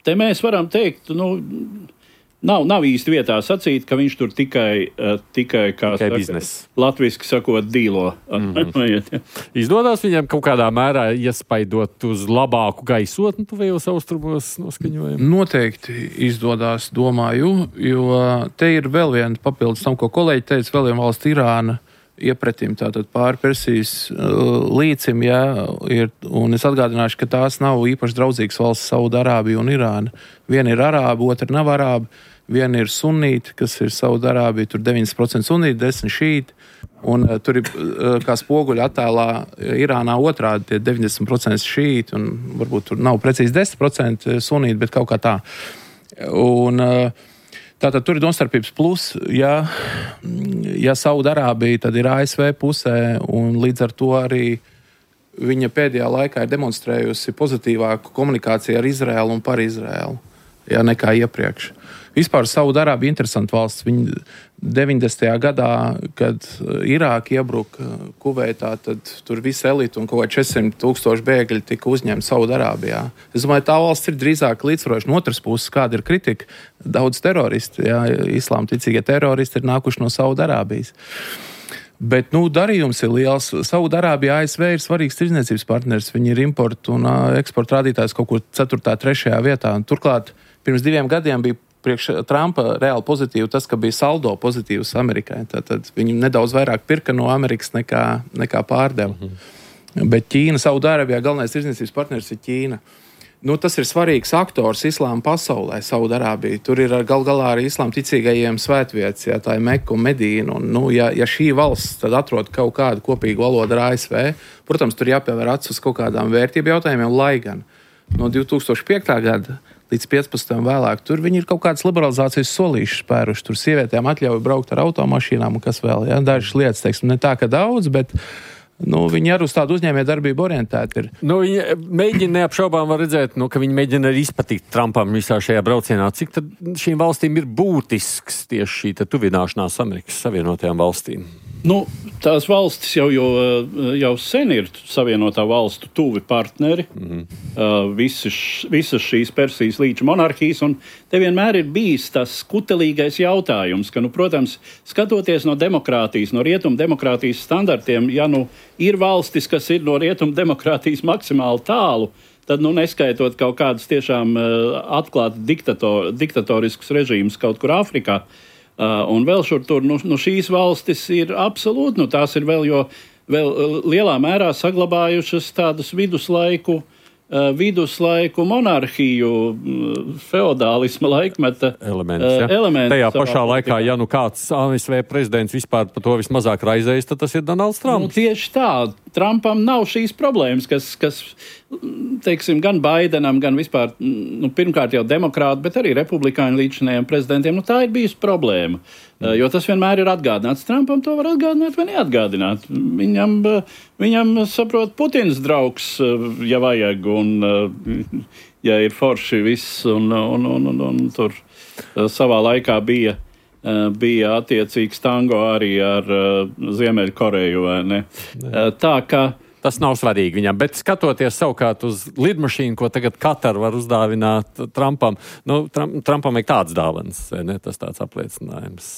te mēs varam teikt, nav īsti vietā sacīt, ka viņš tur tikai biznesa. Latviski sakot, dīlo. Izdodās viņam kaut kādā mērā iespaidot uz labāku gaisotni tuvējos austrumos noskaņojumu? Noteikti izdodās, domāju, jo te ir vēl viena papildus tam, ko kolēģi teica, vēl viena valsts Irāna iepretim, tātad pāri Persijas līcim, un es atgādināšu, ka tās nav īpaši draudzīgas valsts Saudārābija un Irāna. Viena ir arāba, otra nav arāba. Viena ir sunīti, kas ir Saudārābija, tur 90% sunīti, 10% šīti. Un tur ir, kā spoguļa attēlā, Irānā otrādi tie 90% šīti, un varbūt tur nav precīzi 10% sunīti, bet kaut kā tā. Un tātad tur ir domstarpības plus, ja Saudārābija, tad ir ASV pusē, un līdz ar to arī viņa pēdējā laikā ir demonstrējusi pozitīvāku komunikāciju ar Izraēlu un par Izraēlu, nekā iepriekš. Vispār Saudārābija ir interesanta valsts. Viņa 90. gadā, kad Irāka iebruka Kuveitā, tad tur visa elita un kaut kā 400,000 bēgļi tika uzņemti Saudārābijā. Es domāju, tā valsts ir drīzāk līdzsvaroša. No otras puses, kāda ir kritika? Daudz teroristi, islāma ticīgie teroristi ir nākuši no Saudārābijas. Bet, darījums ir liels. Saudārābija, ASV ir svarīgs tirdzniecības partners. Viņi ir importu un eksporta rādītājs kaut kur 4., 3. vietā. Un turklāt, pirms 2 gadiem bija priekš Trumpa reāli pozitīvi tas, ka bija saldo pozitīvs Amerikai. Tātad viņi nedaudz vairāk pirka no Amerikas nekā pārdeva. Bet Ķīna, Saudārābijā galvenais tirdzniecības partners ir Ķīna. Tas ir svarīgs aktors islāma pasaulē, Saudārābija. Tur ir gal galā arī islāma ticīgajiem svētvietas, tā ir Meka un Medīna. Un, ja šī valsts tad atrod kaut kādu kopīgu valodu ar ASV, protams, tur jāpievēr acis uz kaut kādām vērtību jautājumiem, lai gan no 2005. gada līdz 15. vēlāk, tur viņi ir kaut kādas liberalizācijas solīšas spēruši. Tur sievietēm atļauj braukt ar automašīnām un kas vēl. Dažas lietas, teiksim, ne tā, ka daudz, bet viņi arī uz tādu uzņēmējdarbību orientēti ir. Viņi mēģina neapšaubām var redzēt, ka viņi mēģina arī izpatikt Trumpam visā šajā braucienā. Cik tad šīm valstīm ir būtisks tieši šī tuvināšanās Amerikas Savienotajām valstīm? Tās valstis jau sen ir Savienotā valstu tuvi partneri. Visas šīs Persijas līča monarhijas, un te vienmēr ir bijis tas kutelīgais jautājums, ka, protams, skatoties no demokrātijas, no rietumu demokrātijas standartiem, ir valstis, kas ir no rietumu demokrātijas maksimāli tālu, tad, neskaitot kaut kādas tiešām atklāti diktatoriskus režīmus kaut kur Āfrikā, un vēl šur tur, šīs valstis ir absolūti, tās ir vēl lielā mērā saglabājušas tādus viduslaiku monarhiju, feodālisma laikmeta elements. Tajā pašā laikā, ja kāds ASV prezidents vispār par to vismazāk raizējas, tad tas ir Donalds Trumps. Tieši tā. Trumpam nav šīs problēmas, kas teiksim, gan Baidenam, gan vispār, pirmkārt jau demokrāti, bet arī republikāņu līdzinējiem prezidentiem, tā ir bijusi problēma. Jo tas vienmēr ir atgādināts. Trumpam to var atgādināt vai neatgādināt. Viņam saprot, Putins draugs, ja vajag, un ja ir forši viss, un tur savā laikā bija attiecīgs tango arī ar Ziemeļkoreju, vai ne? Tā, ka Tas nav svarīgi viņam, bet skatoties savukārt uz lidmašīnu, ko tagad Katar var uzdāvināt Trumpam, Trumpam ir tāds dāvans, vai ne? Tas tāds apliecinājums.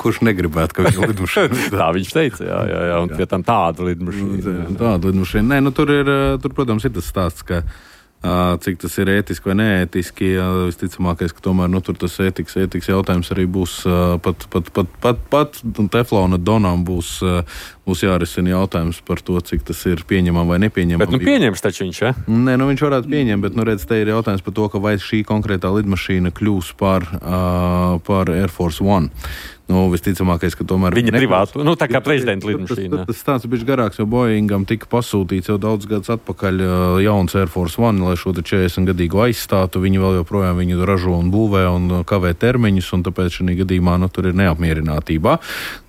Kurš negribētu, ka viņa lidmašīna? Tā viņš teica, jā, un pie tam tāda lidmašīna. Tāda lidmašīna. Nē, tur, protams, ir tas stāsts, ka cik tas ir ētiski vai neētiski, visticamākais, ka tomēr tur tas ētikas jautājums arī būs pat teflona donām būs jārisina jautājums par to, cik tas ir pieņemam vai nepieņemam. Bet pieņems taču viņš, ja? Nē, viņš varētu pieņemt, bet, redz, te ir jautājums par to, ka vai šī konkrētā lidmašīna kļūs par Air Force One. Visticamākais, ka tomēr viņa privātu, tā kā prezidenta lidmašīna. Tas stāsts bija garāks, jo Boeingam tika pasūtīts jau daudz gadus atpakaļ jauns Air Force One, lai šo 40-gadīgu aizstātu. Viņi vēl joprojām viņu ražo un būvē un kavē termiņus, un tāpēc šī gadījumā tur ir neapmierinātībā.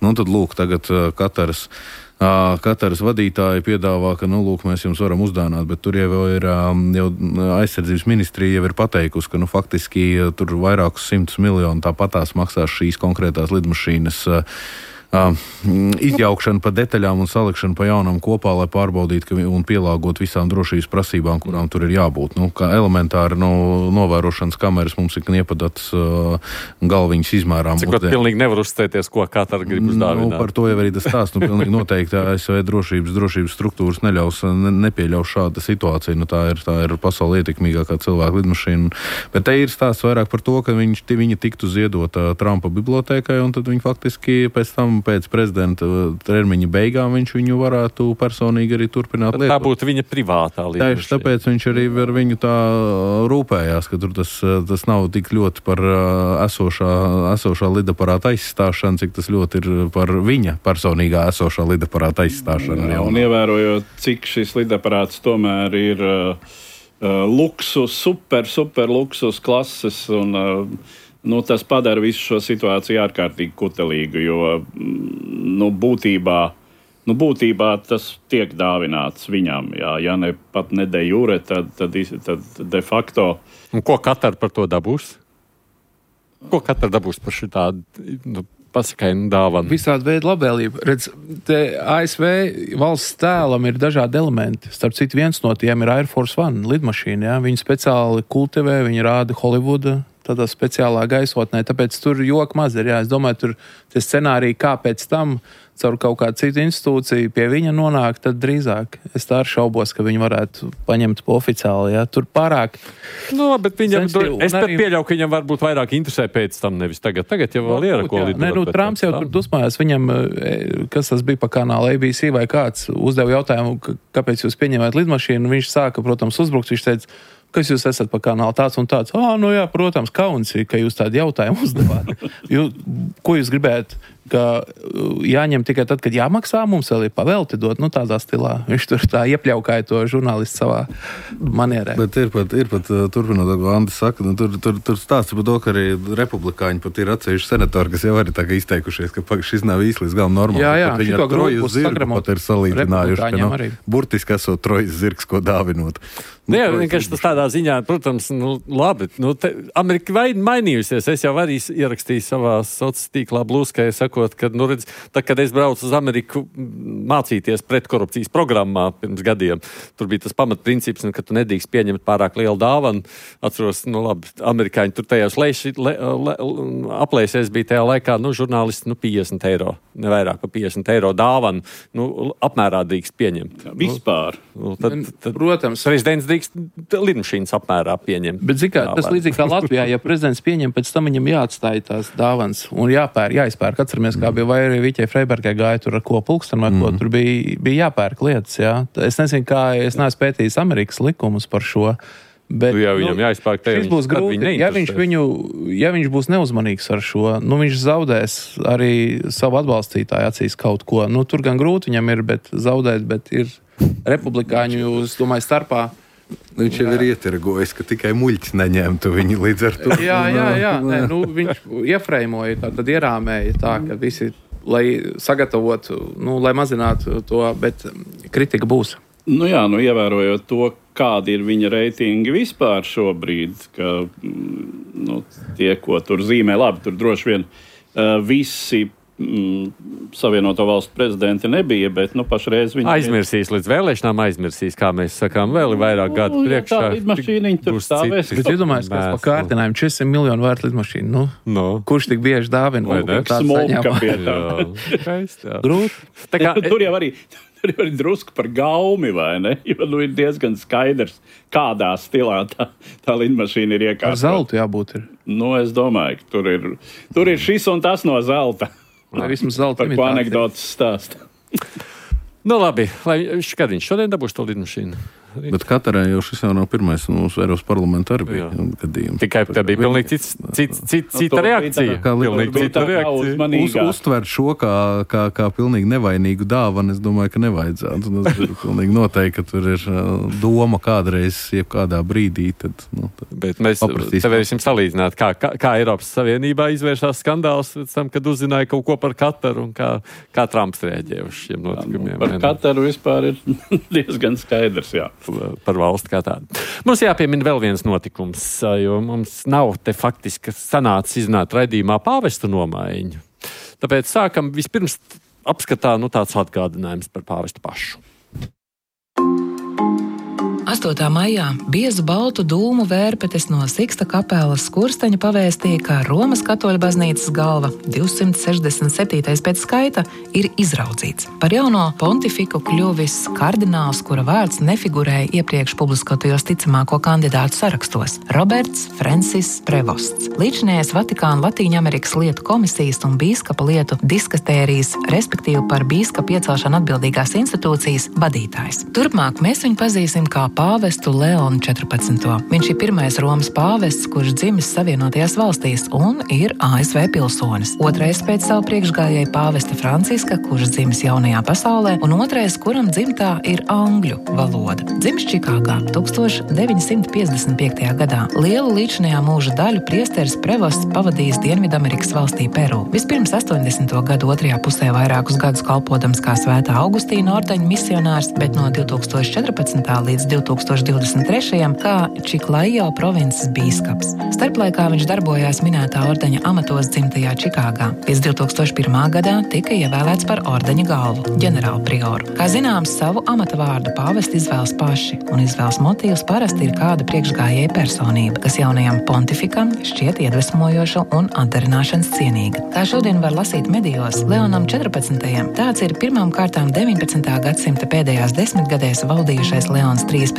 Tad lūk, tagad Kataras vadītāji piedāvā, ka, mēs jums varam uzdāvināt, bet tur jau ir aizsardzības ministrija jau ir pateikusi, ka, faktiski tur vairākus 100 miljonu tāpatās maksās šīs konkrētās lidmašīnas izjaukšana pa detaļām un salikšana pa jaunam kopā, lai pārbaudītu un pielāgot visām drošības prasībām, kurām tur ir jābūt. Kā elementāri novērošanas kameras mums ir iepadats galviņas izmērām. Cik pilnīgi nevar uzstēties, ko Katara grib uzdāvināt. Par to jau arī tas stāsts. Pilnīgi noteikti ASV drošības struktūras nepieļaus šāda situācija. Tā ir pasaulē ietekmīgākā cilvēka lidmašīna. Bet te ir stāsts vairāk par to, ka viņa tiktu ziedota Trumpa bibliotēkai, un tad viņi faktiski pēc prezidenta termiņa beigām viņš viņu varētu personīgi arī turpināt lietot. Tā būtu viņa privātā lidmašīna. Tieši tāpēc viņš arī ar viņu tā rūpējās, ka tur tas nav tik ļoti par esošā lidaparāta aizstāšanu, cik tas ļoti ir par viņa personīgā esošā lidaparāta aizstāšanu. Un ievērojot, cik šis lidaparāts tomēr ir luksus, super luksus klases un tas padara visu šo situāciju ārkārtīgi kutelīgu, jo būtībā tas tiek dāvināts viņam. Ja ne pat ne de jure, tad de facto. Un ko Katara par to dabūs? Ko Katara dabūs par šitādu pasakainu dāvanu? Visādi veidi labvēlību. Redz, te ASV valsts tēlam ir dažādi elementi. Starp citu, viens no tiem ir Air Force One lidmašīna. Ja? Viņi speciāli kultivē, viņi rāda Holivuda tādā speciālā gaisotnē, tāpēc tur joka maz ir. Jā. Es domāju, tur tie scenāriji, kā pēc tam caur kaut kādu citu institūciju pie viņa nonāk, tad drīzāk. Es tā šaubos, ka viņi varētu paņemt po oficiāli. Jā. Tur pārāk. Bet viņam, es pat pieļauju, ka viņam varbūt vairāk interesē pēc tam, nevis tagad. Tagad jau vēl ir ko lidot. Trumps jau tur dusmājās. Viņam, kas tas bija pa kanāla ABC vai kāds, uzdeva jautājumu, kāpēc jūs pieņemat lidmašīnu. Viņš sāka, protams, uzbrukt. Viņš teica, kas jūs esat pa kanālu tāds un tāds? Jā, protams, kauns ir, ka jūs tādu jautājumu uzdevāt. Ko jūs gribētu? Ka jāņem tikai tad, kad jāmaksā, mums vēl ir pavelti dot, tādā stilā. Viņš tur tā iepļaukāja to žurnālistu savā manierē. Bet ir pat turpinot, ko Andis saka, tur stāsta par to, ka arī republikāņi pat ir atsevišķi senatori, kas jau arī tā kā izteikušies, ka šis nav īsti līdz galam normāli. Jā, viņi ar Trojas zirgu pat ir salīdzinājuši, ka burtiski esot Trojas zirgs, ko dāvinot. Jā, vienkārši tas tādā ziņā, protams, labi. Amerika mainījusies. Es jau arī ierakstīju savā sociālā tīklā blūskai, sakot, ka, redz, kad es braucu uz Ameriku mācīties pretkorupcijas programmā pirms gadiem, tur bija tas pamatprincips, ka tu nedrīkst pieņemt pārāk lielu dāvanu. Atceros, amerikāņi tur tajās aplēsēs bija tajā laikā, žurnālisti, €50, ne vairāk pa €50 dāvanu, apmērā drīkst pieņemt. Vispār. Tad, protams. Prezidents lidmašīnas apmērā pieņemt. Bet tas līdzīgi kā Latvijā, ja prezidents pieņem, pēc tam viņam jāatstāj tās dāvans un jāizpērk. Atceramies, kā bija vai arī Viķei Freibergai gāja tur ar ko pulksteni vai ko, tur bija jāpērk lietas, jā. Es nezinu, es neesmu pētījis Amerikas likumus par šo. Bet, viņam jāizpērk šis būs grūti. Ja viņš būs neuzmanīgs ar šo, viņš zaudēs arī savu atbalstītāju acīs kaut ko. Tur gan grūti viņam ir, bet zaudēt, bet ir republikāņu, es domāju, starpā. Viņš jau ir ietirgojis, ka tikai muļķis neņemtu viņu līdz ar to. Jā. Viņš iefreimoja, tad ierāmēja tā, ka visi, lai sagatavotu, lai mazinātu to, bet kritika būs. Ievērojot to, kādi ir viņa reitingi vispār šobrīd, ka tie, ko tur zīmē, labi, tur droši vien visi Savienoto valstu prezidenti nebija, bet pašreiz viņi aizmirsīs līdz vēlēšanām, kā mēs sakām, vēl vairāk gadu priekšā. Tā lidmašīniņa tur stāvēs. Bet iedomājies, kas pa kārtinājumiem 400 miljonu vērta lidmašīna. Kurš tik bieži dāvina? Smolka pie tā. Grūti. Tur jau arī drusku par gaumi, vai ne? Jo ir diezgan skaidrs, kādā stilā tā lidmašīna ir iekārta. Ar zeltu jābūt ir. Es domāju, ka tur ir šis un tas no zelta. Vismaz zelta par ko anekdotas stāsta. Labi, kad viņš šodien dabūs to lidmašīnu? Bet Katarā jau šis jau nav pirmais, un mūsu Eiropas parlamentā arī bija gadījumi. Tikai tā bija pilnīgi cita reakcija. Uztvert šo kā pilnīgi nevainīgu dāvanu, es domāju, ka nevajadzētu. Tas ir pilnīgi noteikti, ka tur ir doma kādreiz, jebkādā brīdī. Bet mēs te varēsim salīdzināt, kā Eiropas Savienībā izvēršās skandāls pēc tam, kad uzzināja kaut ko par Kataru un kā Trumps reaģēja uz šiem notikumiem. Par Kataru vispār ir diezgan skaidrs, jā. Par valsti kā tādu. Mums jāpiemina vēl viens notikums, jo mums nav te faktiski sanācis izzināt raidījumā pāvestu nomaiņu. Tāpēc sākam vispirms apskatā tāds atgādinājums par pāvestu pašu. 8. maijā biezu baltu dūmu vērpetes no Siksta kapelas skursteņa pavēstīja, ka Romas katoļu baznīcas galva 267. pēc skaita ir izraudzīts. Par jauno pontifiku kļuvis kardināls, kura vārds nefigurēja iepriekš publiskotajos ticamāko kandidātu sarakstos – Roberts Francis Prevosts. Līdzinājais Vatikāna Latīņamerikas lietu komisijas un bīskapa lietu diskastērijas, respektīvi par bīskapu iecelšanu atbildīgās institūcijas vadītājs. Turpmāk mēs viņu pazīsim kā pāvestu Leonu 14. Viņš ir pirmais Romas pāvests, kurš dzimis Savienotajās valstīs un ir ASV pilsonis. Otrais pēc savu priekšgājēju pāvesta Franciska, kurš dzimis jaunajā pasaulē, un otrais, kuram dzimtā ir angļu valoda. Dzimis Čikāgā 1955. gadā. Lielu līdzinājā mūža daļu priesteris Prevosts pavadījis Dienvidamerikas valstī Peru. Vispirms 80. gadu otrajā pusē vairākus gadus kalpodams kā Svētā Augustīna ordeņa misionārs, bet no 2014. līdz 2023. kā Čiklajo provinces bīskaps. Starplaikā viņš darbojās minētā ordeņa amatos dzimtajā Čikāgā. Pēc 2001. gadā tika ievēlēts par ordeņa galvu, ģenerālprioru. Kā zināms, savu amata vārdu pāvesti izvēlas paši, un izvēles motīvs parasti ir kāda priekšgājēja personība, kas jaunajam pontifikam šķiet iedvesmojoša un atdarināšanas cienīga. Kā šodien var lasīt medijos, Leonam 14. tāds ir pirmām kārtām 19. gadsimta pēdējās desmitgadēs valdījušais Leons 13.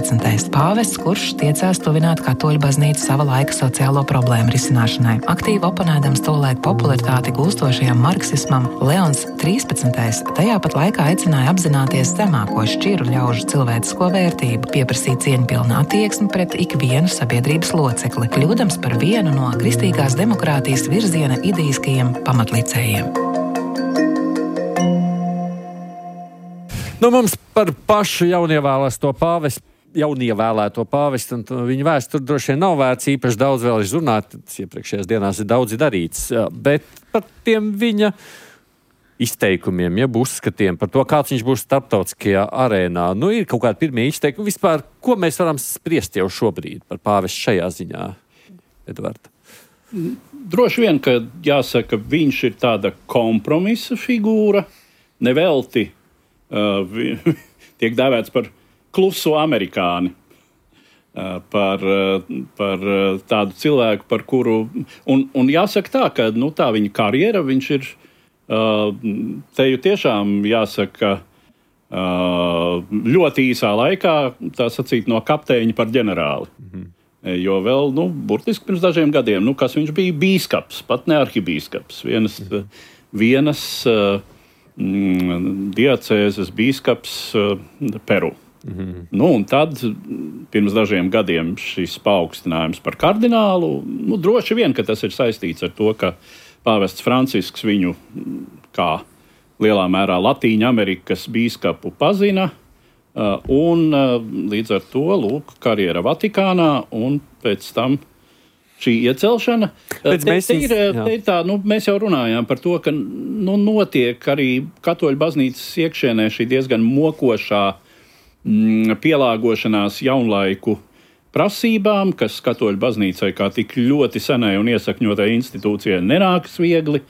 pāvests, kurš tiecās tuvināt katoļu baznīcu sava laika sociālo problēmu risināšanai. Aktīvi oponēdams tolaik popularitāti gūstošajam marksismam, Leons 13. tajā pat laikā aicināja apzināties zemāko šķiru ļaužu cilvēcisko vērtību, pieprasīt cieņpilnu attieksmi pret ikvienu sabiedrības locekli, kļūdams par vienu no kristīgās demokrātijas virziena ideiskajiem pamatlicējiem. Mums par pašu jaunievēlēto pāvestu un viņa vēsturi droši vien nav vērts īpaši daudz vēl izrunāt. Iepriekšējās dienās ir daudz darīts, bet par tiem viņa izteikumiem, uzskatiem par to, kāds viņš būs starptautiskajā arēnā. Ir kaut kādi pirmie izteikumi. Vispār, ko mēs varam spriest jau šobrīd par pāvestu šajā ziņā, Edvards? Droši vien, ka jāsaka, viņš ir tāda kompromisa figūra, nevelti. Tiek dēvēts par kluso amerikāni, par tādu cilvēku, par kuru, un jāsaka tā, ka tā viņa karjera, viņš ir te jau tiešām jāsaka ļoti īsā laikā, tā sacīt, no kapteiņa par ģenerāli. Jo vēl, burtiski pirms dažiem gadiem, kas viņš bija bīskaps, pat ne arhibīskaps, vienas diacēzes bīskaps Peru. Un tad pirms dažiem gadiem šis paaugstinājums par kardinālu, droši vien, ka tas ir saistīts ar to, ka pāvests Francisks viņu kā lielā mērā Latīņa Amerikas bīskapu pazina, un līdz ar to, karjera Vatikānā, un pēc tam šī iecelšana. Mēs jau runājām par to, ka notiek arī katoļu baznīcas iekšienē šī diezgan mokošā pielāgošanās jaunlaiku prasībām, kas katoļu baznīcai kā tik ļoti senai un iesakņotai institūcijai nenākas viegli.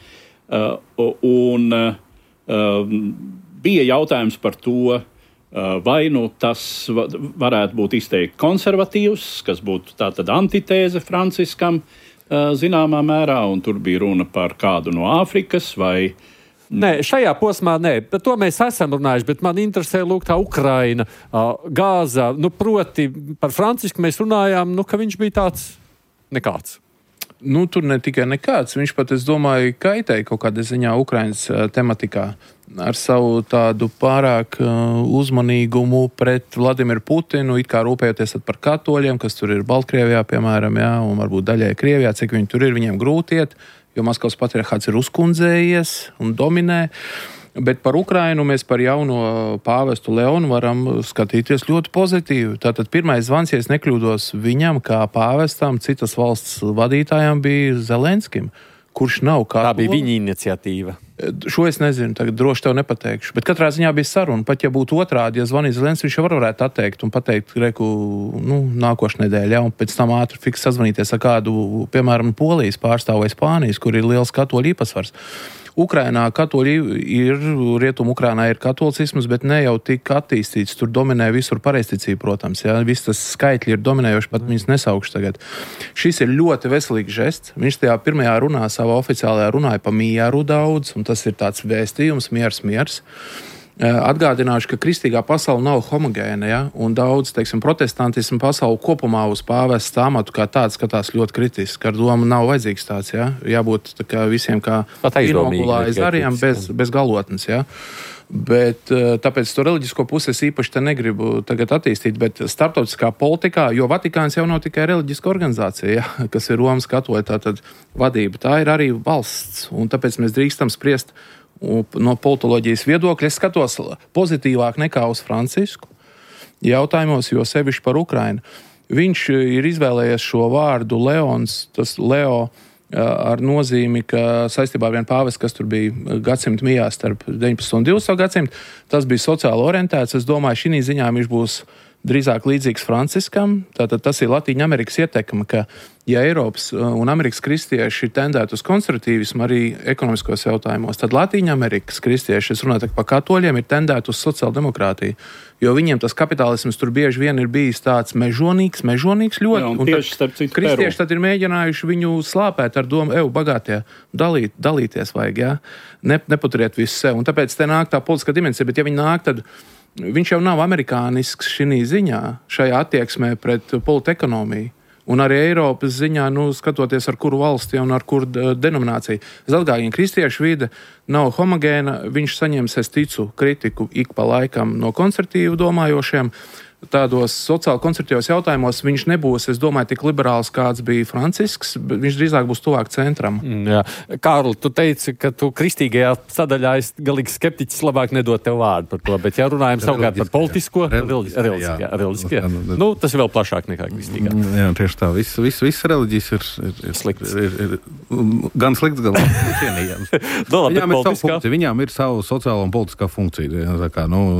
Un bija jautājums par to, vai tas varētu būt izteikti konservatīvs, kas būtu tātad antitēze Franciskam zināmā mērā, un tur bija runa par kādu no Āfrikas vai. Nē, šajā posmā nē, par to mēs esam runājuši, bet man interesē lūk tā Ukraina, Gāza, proti par Francisku mēs runājām, ka viņš bija tāds nekāds. Tur ne tikai nekāds, viņš pat, es domāju, kaitēja kaut kādā ziņā Ukrainas tematikā ar savu tādu pārāk uzmanīgumu pret Vladimiru Putinu, it kā rūpējoties par katoļiem, kas tur ir Baltkrievijā, piemēram, jā, un varbūt daļai Krievijā, cik viņi tur ir, viņiem grūti iet, jo Maskavas patriarhāts ir uzkundzējies un dominē. Bet par Ukrainu mēs par jauno pāvestu Leonu varam skatīties ļoti pozitīvi. Tātad pirmais zvans, ja es nekļūdos, viņam kā pāvestam, citas valsts vadītājām bija Zelenskim, kurš nav katolis. Tā bija viņa iniciatīva. Šo es nezinu, tagad droši tev nepateikšu. Bet katrā ziņā bija saruna. Pat ja būtu otrādi, ja zvanīja Zelenskis, viņš jau varētu atteikt un pateikt, nākošu nedēļu, un pēc tam ātri fiks sazvanīties ar kādu, piemēram, Polijas pārstāvu vai Spānijas, kur ir liels katoļu īpatsvars. Ukrainā katoļi ir, Rietumu Ukrainā ir katolicisms, bet ne jau tik attīstīts. Tur dominē visur pareizticība, protams. Jā. Viss tas skaitļi ir dominējoši, pat viņas nesaukšu tagad. Šis ir ļoti veselīgs žests. Viņš tajā pirmajā runā, savā oficiālajā runāja pa mieru daudz, un tas ir tāds vēstījums, miers. Atgādināšu, ka kristīgā pasaule nav homogēna, ja? Un daudz, protestantismu pasauli kopumā uz pāvesta amatu kā tāds skatās ļoti kritiski. Ar domu nav vajadzīgs tāds, ja? Jābūt tā kā visiem kā inokulājas ariem bez galotnes, ja? Bet tāpēc to reliģisko pusi es īpaši te negribu tagad attīstīt, bet starptautiskā politikā, jo Vatikāns jau nav tikai reliģiska organizācija, ja? Kas ir Romas katoļa tātad vadība, tā ir arī valsts, un tāpēc mēs drīkstam spriest no politoloģijas viedokļa. Es skatos pozitīvāk nekā uz Francisku jautājumos, jo sevišķi par Ukrainu. Viņš ir izvēlējies šo vārdu Leons, tas Leo ar nozīmi, ka saistībā ar vienu pāvestu, kas tur bija gadsimta mijā starp 19. un 20. gadsimtu, tas bija sociāli orientēts. Es domāju, šī ziņā viņš būs drīzāk līdzīgs Franciskam. Tātad tas ir Latīņa Amerikas ietekme, ka ja Eiropas un Amerikas kristieši tendētu uz konservatīvismu arī ekonomiskos jautājumos, tad Latīņa Amerikas kristieši, es runāju par katoļiem, ir tendētu uz sociāldemokrātiju. Jo viņiem tas kapitālisms tur bieži vien ir bijis tāds mežonīgs ļoti. Jā, un tieši starp citu kristieši tad ir mēģinājuši viņu slāpēt ar domu, bagātie, dalīties vajag, jā. Nepaturiet visu sev. Un tāpēc te nāk tā politiskā dimensija, bet ja viņi nāk, tad viņš jau nav amerikānisks šī ziņā, šajā attieksmē pret politekonomiju. Un arī Eiropas ziņā, skatoties ar kuru valsti un ar kuru denomināciju. Es atgādinu, kristiešu vide nav homogēna, viņš saņems, es ticu, kritiku ik pa laikam no konservatīvu domājošiem. Tādos sociāli konservatīvos jautājumos viņš nebūs, es domāju, tik liberāls, kāds bija Francisks, bet viņš drīzāk būs tuvāk centram. Jā. Kārli, tu teici, ka tu kristīgajā sadaļā esi galīgi skeptiķis, labāk nedot tev vārdu par to, bet ja runājam savukārt par politisko, reliģiskajā. Tas ir vēl plašāk nekā kristīgā. Jā, tieši tā. Viss reliģijas ir slikts. Ir gan slikts, gan cienījams. Viņām ir savu sociālo un politiskā funkcija.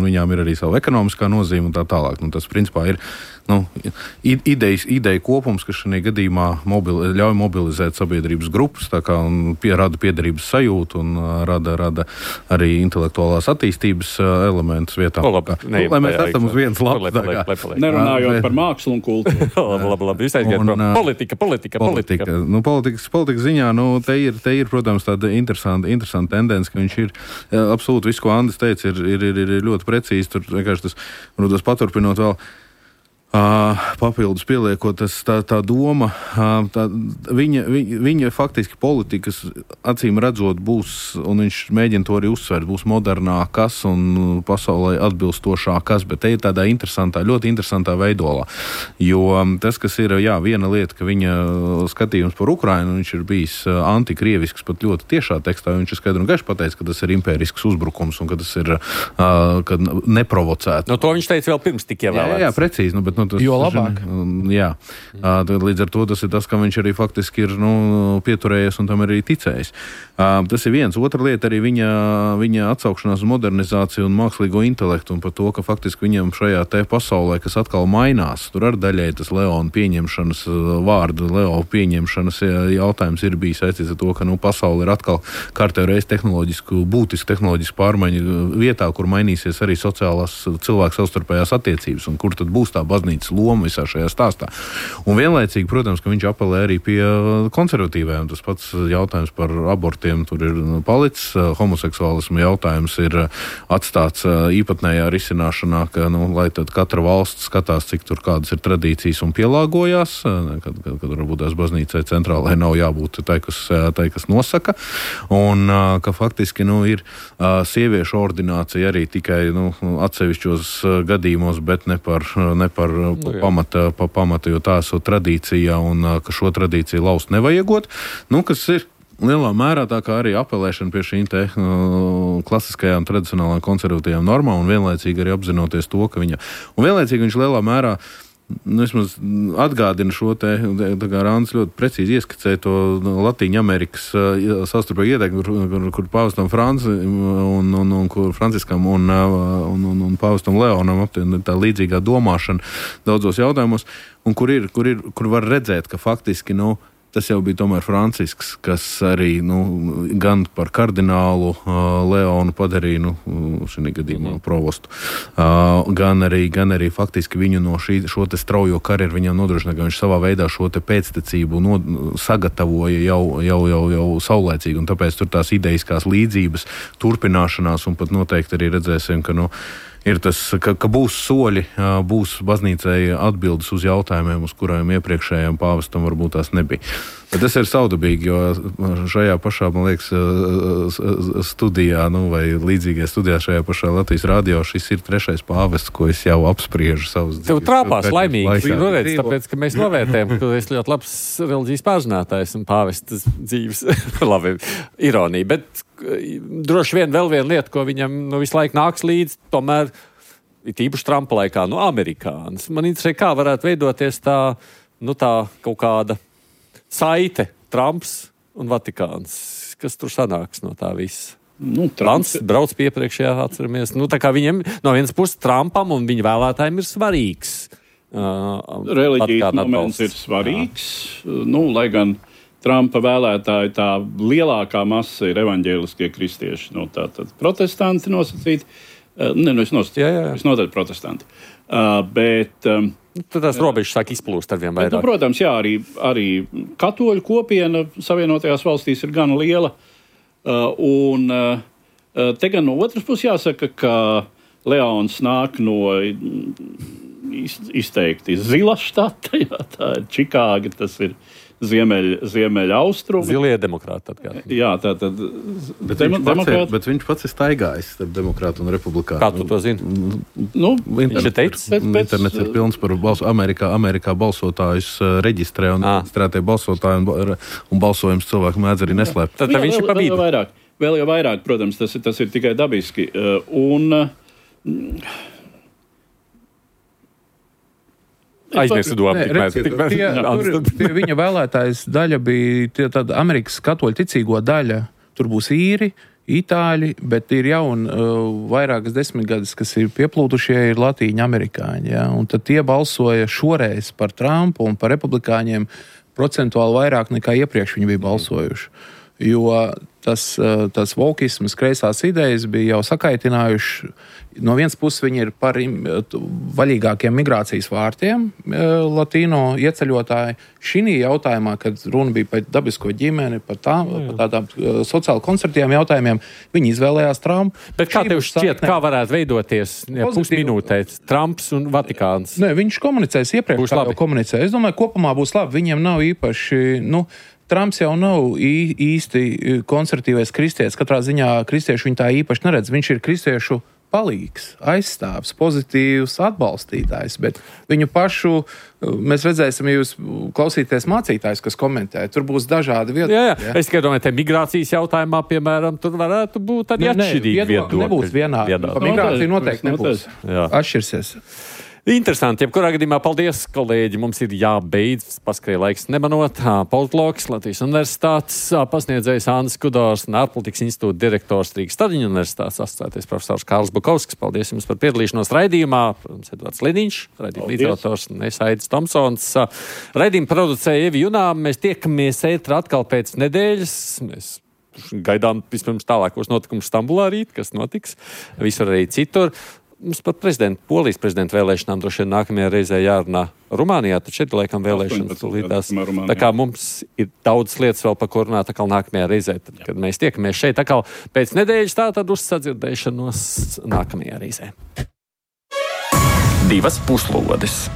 Viņām ir arī savu ekonomiskā nozīme un tā tālāk. Tas, principā, ir ideja kopums, kas šajā gadījumā ļauj mobilizēt sabiedrības grupas, rada piederības sajūtu un rada arī intelektuālās attīstības elementus vietā. Lai mēs esam uz vienas lapas. Nerunājot par mākslu un kultūru. Labi, politika. Politikas ziņā, te ir, protams, tāda interesanta tendence, ka viņš ir absolūti viss, ko Andis teica, ir ļoti precīzi. Tur vienkārši tas paturpinot vēl papildus pieliekot, tā doma, viņa faktiski politikas acīm redzot būs, un viņš mēģina to arī uzsvērt, būs modernākas un pasaulē atbilstošākas, bet te ir tādā ļoti interesantā veidolā. Jo tas, kas ir, viena lieta, ka viņa skatījums par Ukrainu, viņš ir bijis antikrievisks pat ļoti tiešā tekstā, viņš ir skaidri un gaiši pateicis, ka tas ir impērisks uzbrukums un ka tas ir neprovocēts. To viņš teica vēl pirms tik ievēlēts. Jā, precīzi, bet jo labāk. Jā. Līdz ar to tas ir tas, ka viņš arī faktiski ir pieturējies un tam arī ticējis. Tas ir viens. Otra lieta arī viņa atsaukšanās uz modernizāciju un mākslīgo intelektu un par to, ka faktiski viņam šajā te pasaulē, kas atkal mainās, tur ar daļai tas Leona pieņemšanas vārdu, Leo pieņemšanas jautājums ir bijis saistīts ar to, ka pasaule ir atkal kārtējo reizi būtisku tehnoloģisku pārmaiņu vietā, kur mainīsies arī sociālās cilvēku savstarpējās attiecības un kur tad būs tā baznīcas loma visā šajā stāstā. Un vienlaicīgi, protams, ka viņš apelē arī pie konservatīviem. Tas pats jautājums par abortiem tur ir palicis. Homoseksuālismu jautājums ir atstāts īpatnējā risināšanā, ka, lai tad katra valsts skatās, cik tur kādas ir tradīcijas un pielāgojās, kad varbūt tās baznīcai centrālai nav jābūt tai, kas nosaka. Un ka faktiski, ir sieviešu ordinācija arī tikai, atsevišķos gadījumos, bet ne par pamata, jo tā esot tradīcija un ka šo tradīciju laust nevajagot, kas ir lielā mērā tā kā arī apelēšana pie šīm te klasiskajām, tradicionālām konservatīvām normām un vienlaicīgi arī apzinoties to, ka vienlaicīgi viņš lielā mērā vismaz atgādina šo te, tā kā Rāns ļoti precīzi ieskicēja to Latīņu Amerikas savstarpēju ieteikumu, kur pāvestam Franci un kur Franciskam un pāvestam Leonam tā līdzīgā domāšana daudzos jautājumos, un kur var redzēt, ka faktiski, tas jau bija tomēr Francisks, kas arī gan par kardinālu Leonu padarīja šī gadījumā provostu, gan arī faktiski viņu no šo te straujo karjeru viņam nodrošināja, ka viņš savā veidā šo te pēctecību sagatavoja jau saulēcīgi, un tāpēc tur tās ideiskās līdzības turpināšanās, un pat noteikti arī redzēsim, ka ir tas, ka būs soļi, būs baznīcai atbildes uz jautājumiem, uz kuriem iepriekšējiem pāvestam varbūt tās nebija. Bet tas ir saudabīgi, jo šajā pašā, man liekas, studijā, vai līdzīgajā studijā šajā pašā Latvijas radio, šis ir 3. pāvests, ko es jau apspriežu savus dzīves. Tev trāpās laimīgi, tāpēc, ka mēs novērtējam, ka esi ļoti labs reliģijas pārzinātājs un pāvestas dzīves. Labi, ironija, bet droši vien vēl viena lieta, ko viņam visu laiku nāks līdz, tomēr ir īpaši Trumpa laikā, amerikānis. Man interesē, kā varētu veidoties tā kaut kāda saite, Trumps un Vatikāns. Kas tur sanāks no tā visa? Trumps brauc piepriekšējā, atceramies. Tā kā viņiem no vienas puses Trumpam un viņa vēlētājiem ir svarīgs. Reliģijas moments ir svarīgs. Lai gan Trumpa vēlētāji tā lielākā masa ir evaņģēliskie kristieši. Tātad protestanti nosacīti. Es noteikti protestanti. Bet tad tās robežas sāk izplūst ar vien vairāk. Protams, jā, arī katoļu kopiena Savienotajās valstīs ir gan liela. Un te gan no otras puses jāsaka, ka Leons nāk no izteikti zila štata. Jā, tā ir Čikāga, tas ir ziemeļa austrumi. Zilie demokrāti atkārt. Jā, tātad. Bet viņš pats ir staigājis starp demokrātu un republikānu. Kā tu to zini? Viņš ir teicis? Internets ir pilns par Amerikā balsotājus reģistrē un reģistrētie balsotāji un balsojums cilvēku mēdz arī neslēpt. Tad viņš ir pabīdi. Vēl jau vairāk, protams, tas ir tikai dabiski. Aizmirsu domu. Pie viņa vēlētājas daļa bija tāda Amerikas katoļu ticīgo daļa. Tur būs īri, itāļi, bet ir vairākas desmitgades, kas ir pieplūdušie, ir latīņu amerikāņi. Ja? Un tad tie balsoja šoreiz par Trumpu un par republikāņiem procentuāli vairāk nekā iepriekš viņi bija balsojuši. Jo tas vokismas kreisās idejas bija jau sakaitinājuši. No vienas puses viņi ir par vaļīgākiem migrācijas vārtiem, latīno ieceļotāji. Šī jautājumā, kad runa bija par dabisko ģimeni, par tādām sociāli konservatīviem jautājumiem, viņi izvēlējās Trumpu. Bet kā tev šķiet, kā varētu veidoties pusminūtē Trumps un Vatikāns? Viņš komunicēs iepriekš, kā jau komunicēja. Es domāju, kopumā būs labi. Viņiem nav īpaši, Trumps jau nav īsti konservatīvais kristietis. Katrā ziņā kristieši viņu tā īpaši neredz. Viņš ir kristiešu palīgs, aizstāvs, pozitīvs atbalstītājs, bet viņu pašu mēs redzēsim, ja jūs klausīties mācītājs, kas komentē, tur būs dažādi viedokļi. Jā. Es tikai domāju, te migrācijas jautājumā, piemēram, tur varētu būt arī atšķirīgi viedokļi. Nebūs vienādi. Par migrāciju noteikti nebūs. Atšķirsies. Interesanti. Jebkurā gadījumā paldies, kolēģi. Mums ir jābeidz. Paskrēja laiks nemanot. Politologs, Latvijas Universitātes pasniedzējs Andris Kudors un ārpolitikas institūta direktors Rīgas Staļiņu Universitātes asociētais profesors Kārlis Bukovskis. Paldies jums par piedalīšanos raidījumā. Protams, Edvards Lidiņš, raidījuma līdzautors un es Aidis Tomsons. Raidījumu producēja Evi Junām. Mēs tiekamies ētrā atkal pēc nedēļas. Mēs gaidām vispirms tālākos notikumus Stambulā rīt, kas notiks. Visur arī citur. Mums par Polijas prezidenta vēlēšanām droši vien nākamajā reizē jārunā Rumānijā, tad šeit laikam vēlēšanas līdās. Tā kā mums ir daudz lietas vēl par ko runāt atkal nākamajā reizē, tad, kad mēs tiekamies šeit atkal pēc nedēļas, tātad uz sadzirdēšanos nākamajā reizē. 2 puslodes.